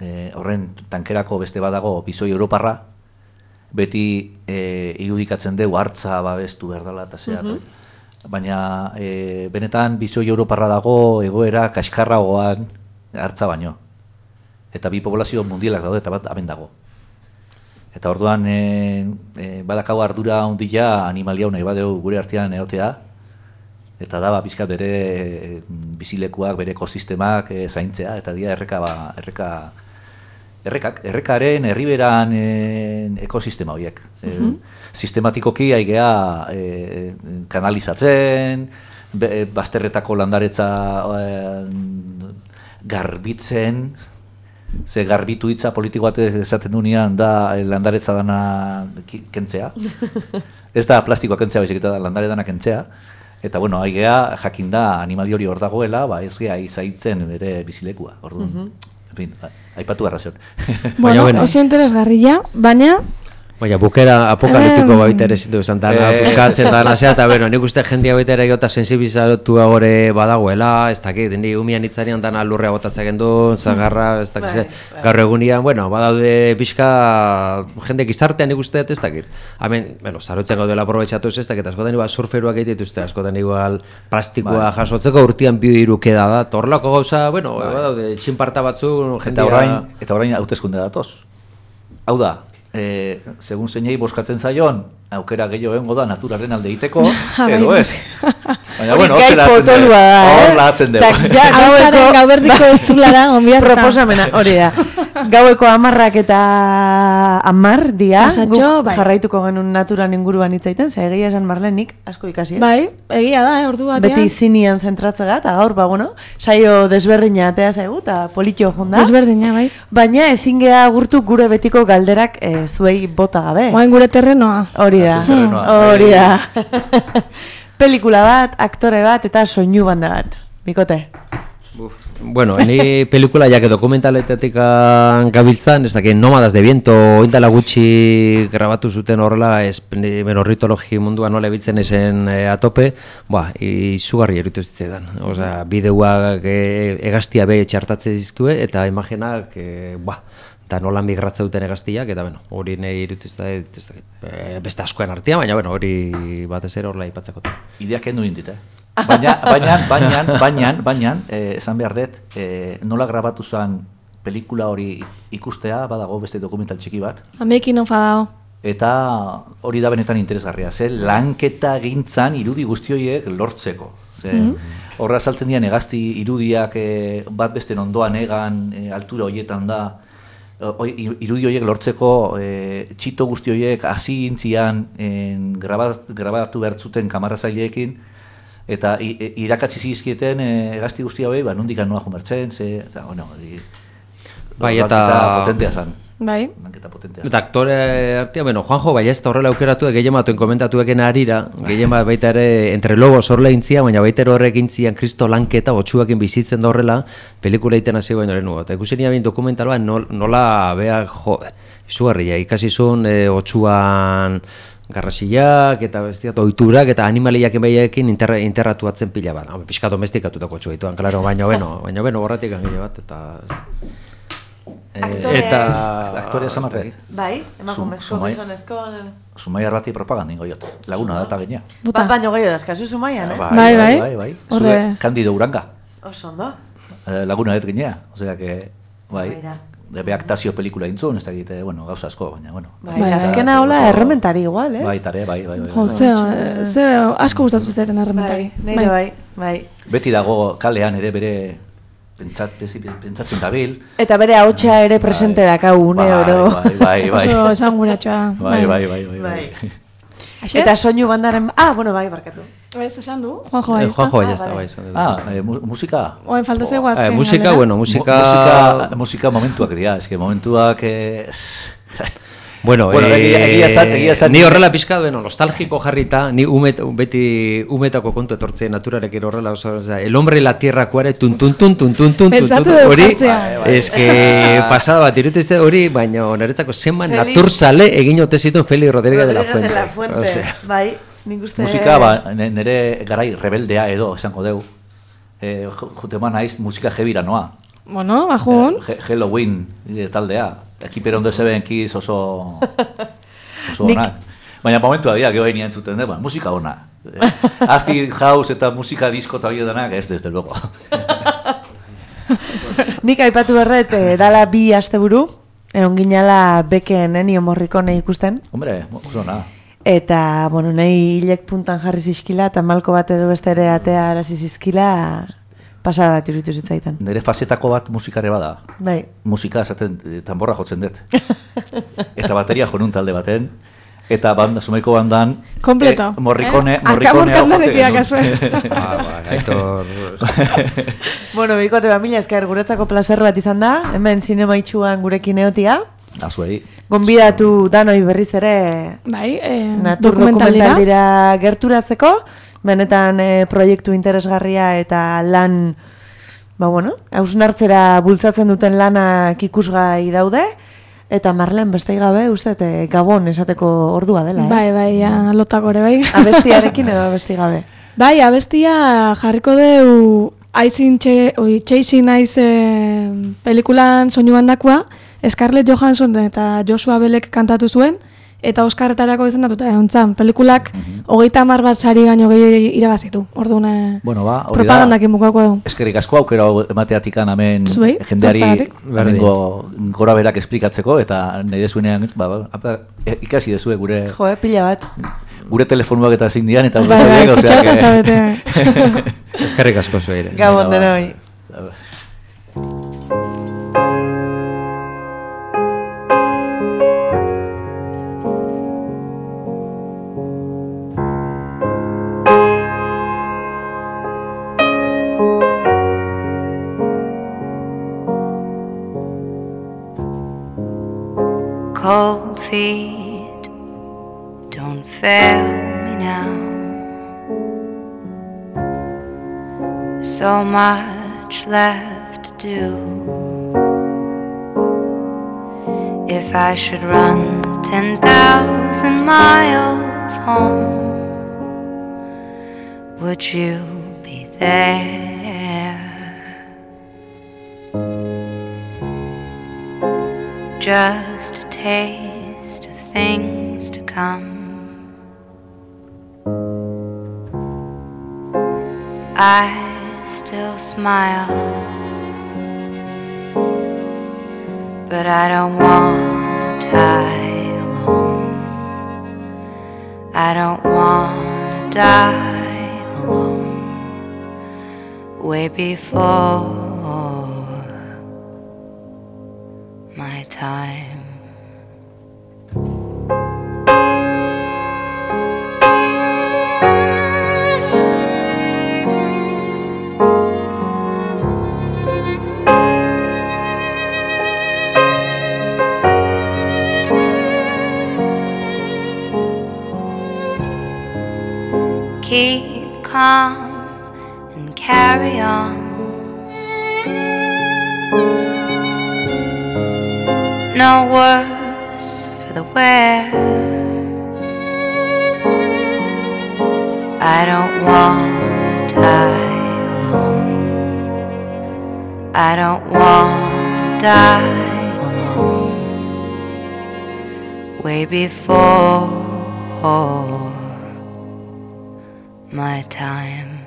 E, horren tankerako beste badago bizoi europarra, beti e, irudikatzen dugu hartza babestu behar dela eta zeak. Uh-huh. Baina e, benetan bizoi europarra dago egoera kaskarragoan hartza baino. Eta bi populazio mundialak daude eta bat aben dago. Eta orduan e, e, badakau ardura handia animalia nahi badeu gure artean egotea, eta da ba, pixkat bere e, bizilekuak, bere ekosistemak e, zaintzea, eta dia erreka, ba, erreka, errekak, errekaren herriberan e, ekosistema horiek. E, Mhm. Sistematikoki aigea e, kanalizatzen, be, bazterretako landaretza e, garbitzen, ze garbitu hitza politiko bat esaten dunean da landaretza dana kentzea. Ez da plastikoa kentzea, baizik eta da landare dana kentzea. Eta bueno, aigea jakin da animali hori hor dagoela, ba ez gea izaitzen bere bizilekua. Orduan, Mhm. en fin, aipatu arrazion. Bueno, oso interesgarria, baina Baina, bukera apokaliptiko Em, baita ere zindu esan dana, Eh. buskatzen dana zea, eta bero, nik uste jendia baita ere gota sensibilizatu gore badagoela, ez dakit, ni umian hitzarian dana lurrea botatzen gendu, zagarra, ez dakit, Bai, ze, bai. gaur egunian, bueno, badaude pixka jende gizartean nik uste, ez dakit. Hemen, bueno, zarotzen gaudela aprobetxatuz, ez dakit, askotan igual surferuak egite dituzte, askotan igual plastikoa Bai. jasotzeko urtean bi hiru keda da, torlako gauza, bueno, badaude txinparta batzu, Eta jendia... orain, eta orain hauteskunde datoz. Hau da, e, segun zeinei boskatzen zaion, aukera gehiago egongo da naturaren alde egiteko, edo ez. Baina, bueno, hor zeratzen dugu. Hor lahatzen dugu. Hautzaren gauberdiko ez dulara, onbiarta. Proposamena, hori da. Gaueko amarrak eta amar dia, Pasatxo, guk bai. jarraituko genuen naturan inguruan hitzaiten, ze egia esan Marlenik asko ikasi. eh? Bai, egia da, eh, ordu batean. Beti zinian zentratzega, eta gaur, ba, bueno, saio desberdina atea zaigu, eta politxo jonda. Desberdina, bai. Baina ezin gea agurtu gure betiko galderak eh, zuei bota gabe. Oain gure terrenoa. Hori da, Zuen terrenoa. hori da. Pelikula bat, aktore bat, eta soinu banda bat. Bikote. Bueno, ni pelikula ja que dokumentaletatik gabiltzan, ez dakit Nómadas de Viento, oindala gutxi grabatu zuten horrela, ez ornitologi mundua nola ebiltzen esen e, atope, ba, izugarri eritu zitzaidan. Osea, bideoak e, egaztia be txartatzen zizkue, eta imaginak, e, ba, eta nola migratza duten egaztiak, eta bueno, hori nahi irutu zitzaidan, ez dakit, e, beste askoen artean, baina bueno, hori batez ere horrela ipatzeko. Ideak kendu indit, eh? Baina, baina, baina, baina, baina, eh, esan behar dut, eh, nola grabatu zen pelikula hori ikustea, badago beste dokumental txiki bat, Amekin enfadao. eta hori da benetan interesgarria, ze lanketa gintzan irudi guzti horiek lortzeko. Ze, Mhm. horra saltzen dian egazti irudiak eh, bat besten ondoan egan, eh, altura horietan da, Oi, irudi horiek lortzeko e, txito guzti horiek hasi gintzian en, grabat, grabatu behar zuten kamarazaileekin, eta i, e, irakatsi zizkieten e, gazti guzti hauei, ba, nondik noa jumertzen, ze, eta, bueno, di, Bai, lanketa eta- potentea zan. Bai. Lanketa potentea. Eta aktore artean, bueno, Juanjo Ballesta horrela aukeratu, gehien batuen komentatueken arira, gehien bat baita ere, entre lobos horrela intzia, baina baita ere horrek intzian kristo lanketa, otxuakin bizitzen da horrela, pelikula egiten hasi baino lehen nugot. Ikusi nire bain dokumentaloa, nola, beha, jo, izugarria, ikasi zuen e, otxuan garrasiak eta bestiat oiturak eta animaliak enbaiaekin inter, interratuatzen pila bat. Hau, pixka domestikatutako otxua dituan, klaro, baina beno, baina beno, horretik angile bat, eta... Aktorea- eta... Aktorea zamarret. Bai, emakumezko, Zumai- gizonezko... Zumaiar bati propaganda ingo jot. Laguna da eta gainea. Ba, baino gehiago dazkazu Zumaian, eh? Bai, bai. bai, bai. Horre- Zue, Candido Uranga. Oso ondo. Eh, Laguna dut ginea. Osea que, bai, Baira. de beaktazio pelikula intzun, ez da egite, bueno, gauza asko, baina, bueno. Bai, azkena hola errementari igual, eh? Bai, tare, bai, bai, bai. Jo, bai. ze, ze asko gustatu zaiten errementari. Bai, nire bai, bai. Beti dago kalean ere bere pentsat, pentsatzen dabil. Eta bere ahotsa ere presente dakau une Bai, oro. bai, bai, bai. Oso esanguratxoa. Bai, bai, bai, bai, bai. Eta soinu bandaren... Ah, bueno, bai, barkatu. Ez esan du, Juanjo Eh, Ballesta. Juanjo Ballesta, bai, esan dut. Ah, eh, mu- musika. Oain falta zego Eh, azken. musika, galdera. bueno, musika... Mu- musika, musika momentuak dira, eske momentuak... Eh, Bueno, Bueno, eh, egia- egia esan- egia esan- ni horrela pixka, bueno, nostalgiko jarrita, ni umet, beti umetako kontu etortzen naturarekin horrela, oso, o sea, el hombre y la tierra kuare, tun tun tun tun tun tun tun Pentsatu tun, dut hori, jartzea. es que pasada bat irutize hori, baina niretzako zenbat Feliz- naturzale egin ote zituen Feli Rodríguez de la Rodríguez Fuente. de la Fuente. O sea, Bai, nik uste... musika, ba, ne- nere garai rebeldea edo, esango deu. Eh, ju- Jutema naiz musika jebira noa. Bueno, bajun. Eh, He- Halloween eh, taldea. Ekiper ondo zeben kiz oso... oso Nik- onak. Baina momentua dira, geho hain entzuten dut, ba, musika ona. Eh, Acid house eta musika disko eta hori denak ez, desde luego. Nik aipatu berret, eh, dala bi asteburu, Egon ginala beken Ennio Morricone ikusten. Hombre, oso na. Eta, bueno, nahi hilek puntan jarri zizkila, eta malko bat edo beste ere atea arazi zizkila, pasada bat iruditu zitzaitan. Nire fasetako bat musikare bada. Bai. Musika esaten tanborra jotzen dut. Eta bateria jonun talde baten. Eta banda, sumaiko bandan... Kompleto. Eh, morrikone, eh? morrikone... Arkamorkan kasue. Ah, ba, gaitor... Bueno, bikote ba, mila esker guretzako plazer bat izan da. Hemen zinema itxuan gurekin eotia. Azuei. Gonbidatu danoi berriz ere... Bai, eh, natur dokumentaldira gerturatzeko. Benetan eh, proiektu interesgarria eta lan... Ba, bueno, hausnartzera bultzatzen duten lanak ikusgai daude. Eta Marlen beste gabe, uste, e, Gabon esateko ordua dela, eh? Bai, bai, ja, lotako ere, bai. Abestiarekin edo abesti gabe? Bai, abestia jarriko deu Aizin Chasing Eyes eh, pelikulan soinu bandakua, Scarlett Johansson eta Joshua Belek kantatu zuen, eta Oscarretarako izendatuta egon zan. Pelikulak hogeita hamar bat sari gaino gehi irabazitu. Orduan eh, bueno, ba, propagandakin bukako du. Eskerrik asko aukera emateatikan hemen Zuei, jendeari tortzagatik. gora berak esplikatzeko, eta nahi dezuenean ba, ba, ikasi dezue gure... Jo, eh, pila bat. Gure telefonuak eta zein dian, eta... Bai, bai, kutxauta zabete. Eskerrik asko zueire. Gabon denoi. Cold feet, don't fail me now. So much left to do. If I should run ten thousand miles home, would you be there? Just a taste of things to come. I still smile, but I don't want to die alone. I don't want to die alone. Way before my time. Keep calm and carry on. No worse for the wear. I don't want to die alone. I don't want to die alone. Way before my time.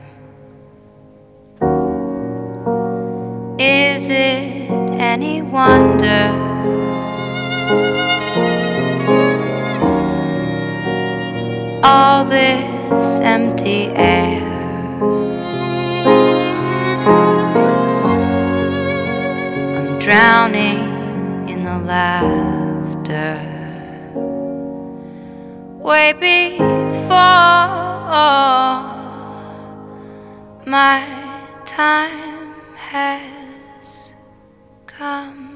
Is it any wonder all this empty air? I'm drowning in the laughter. Way before my time has come.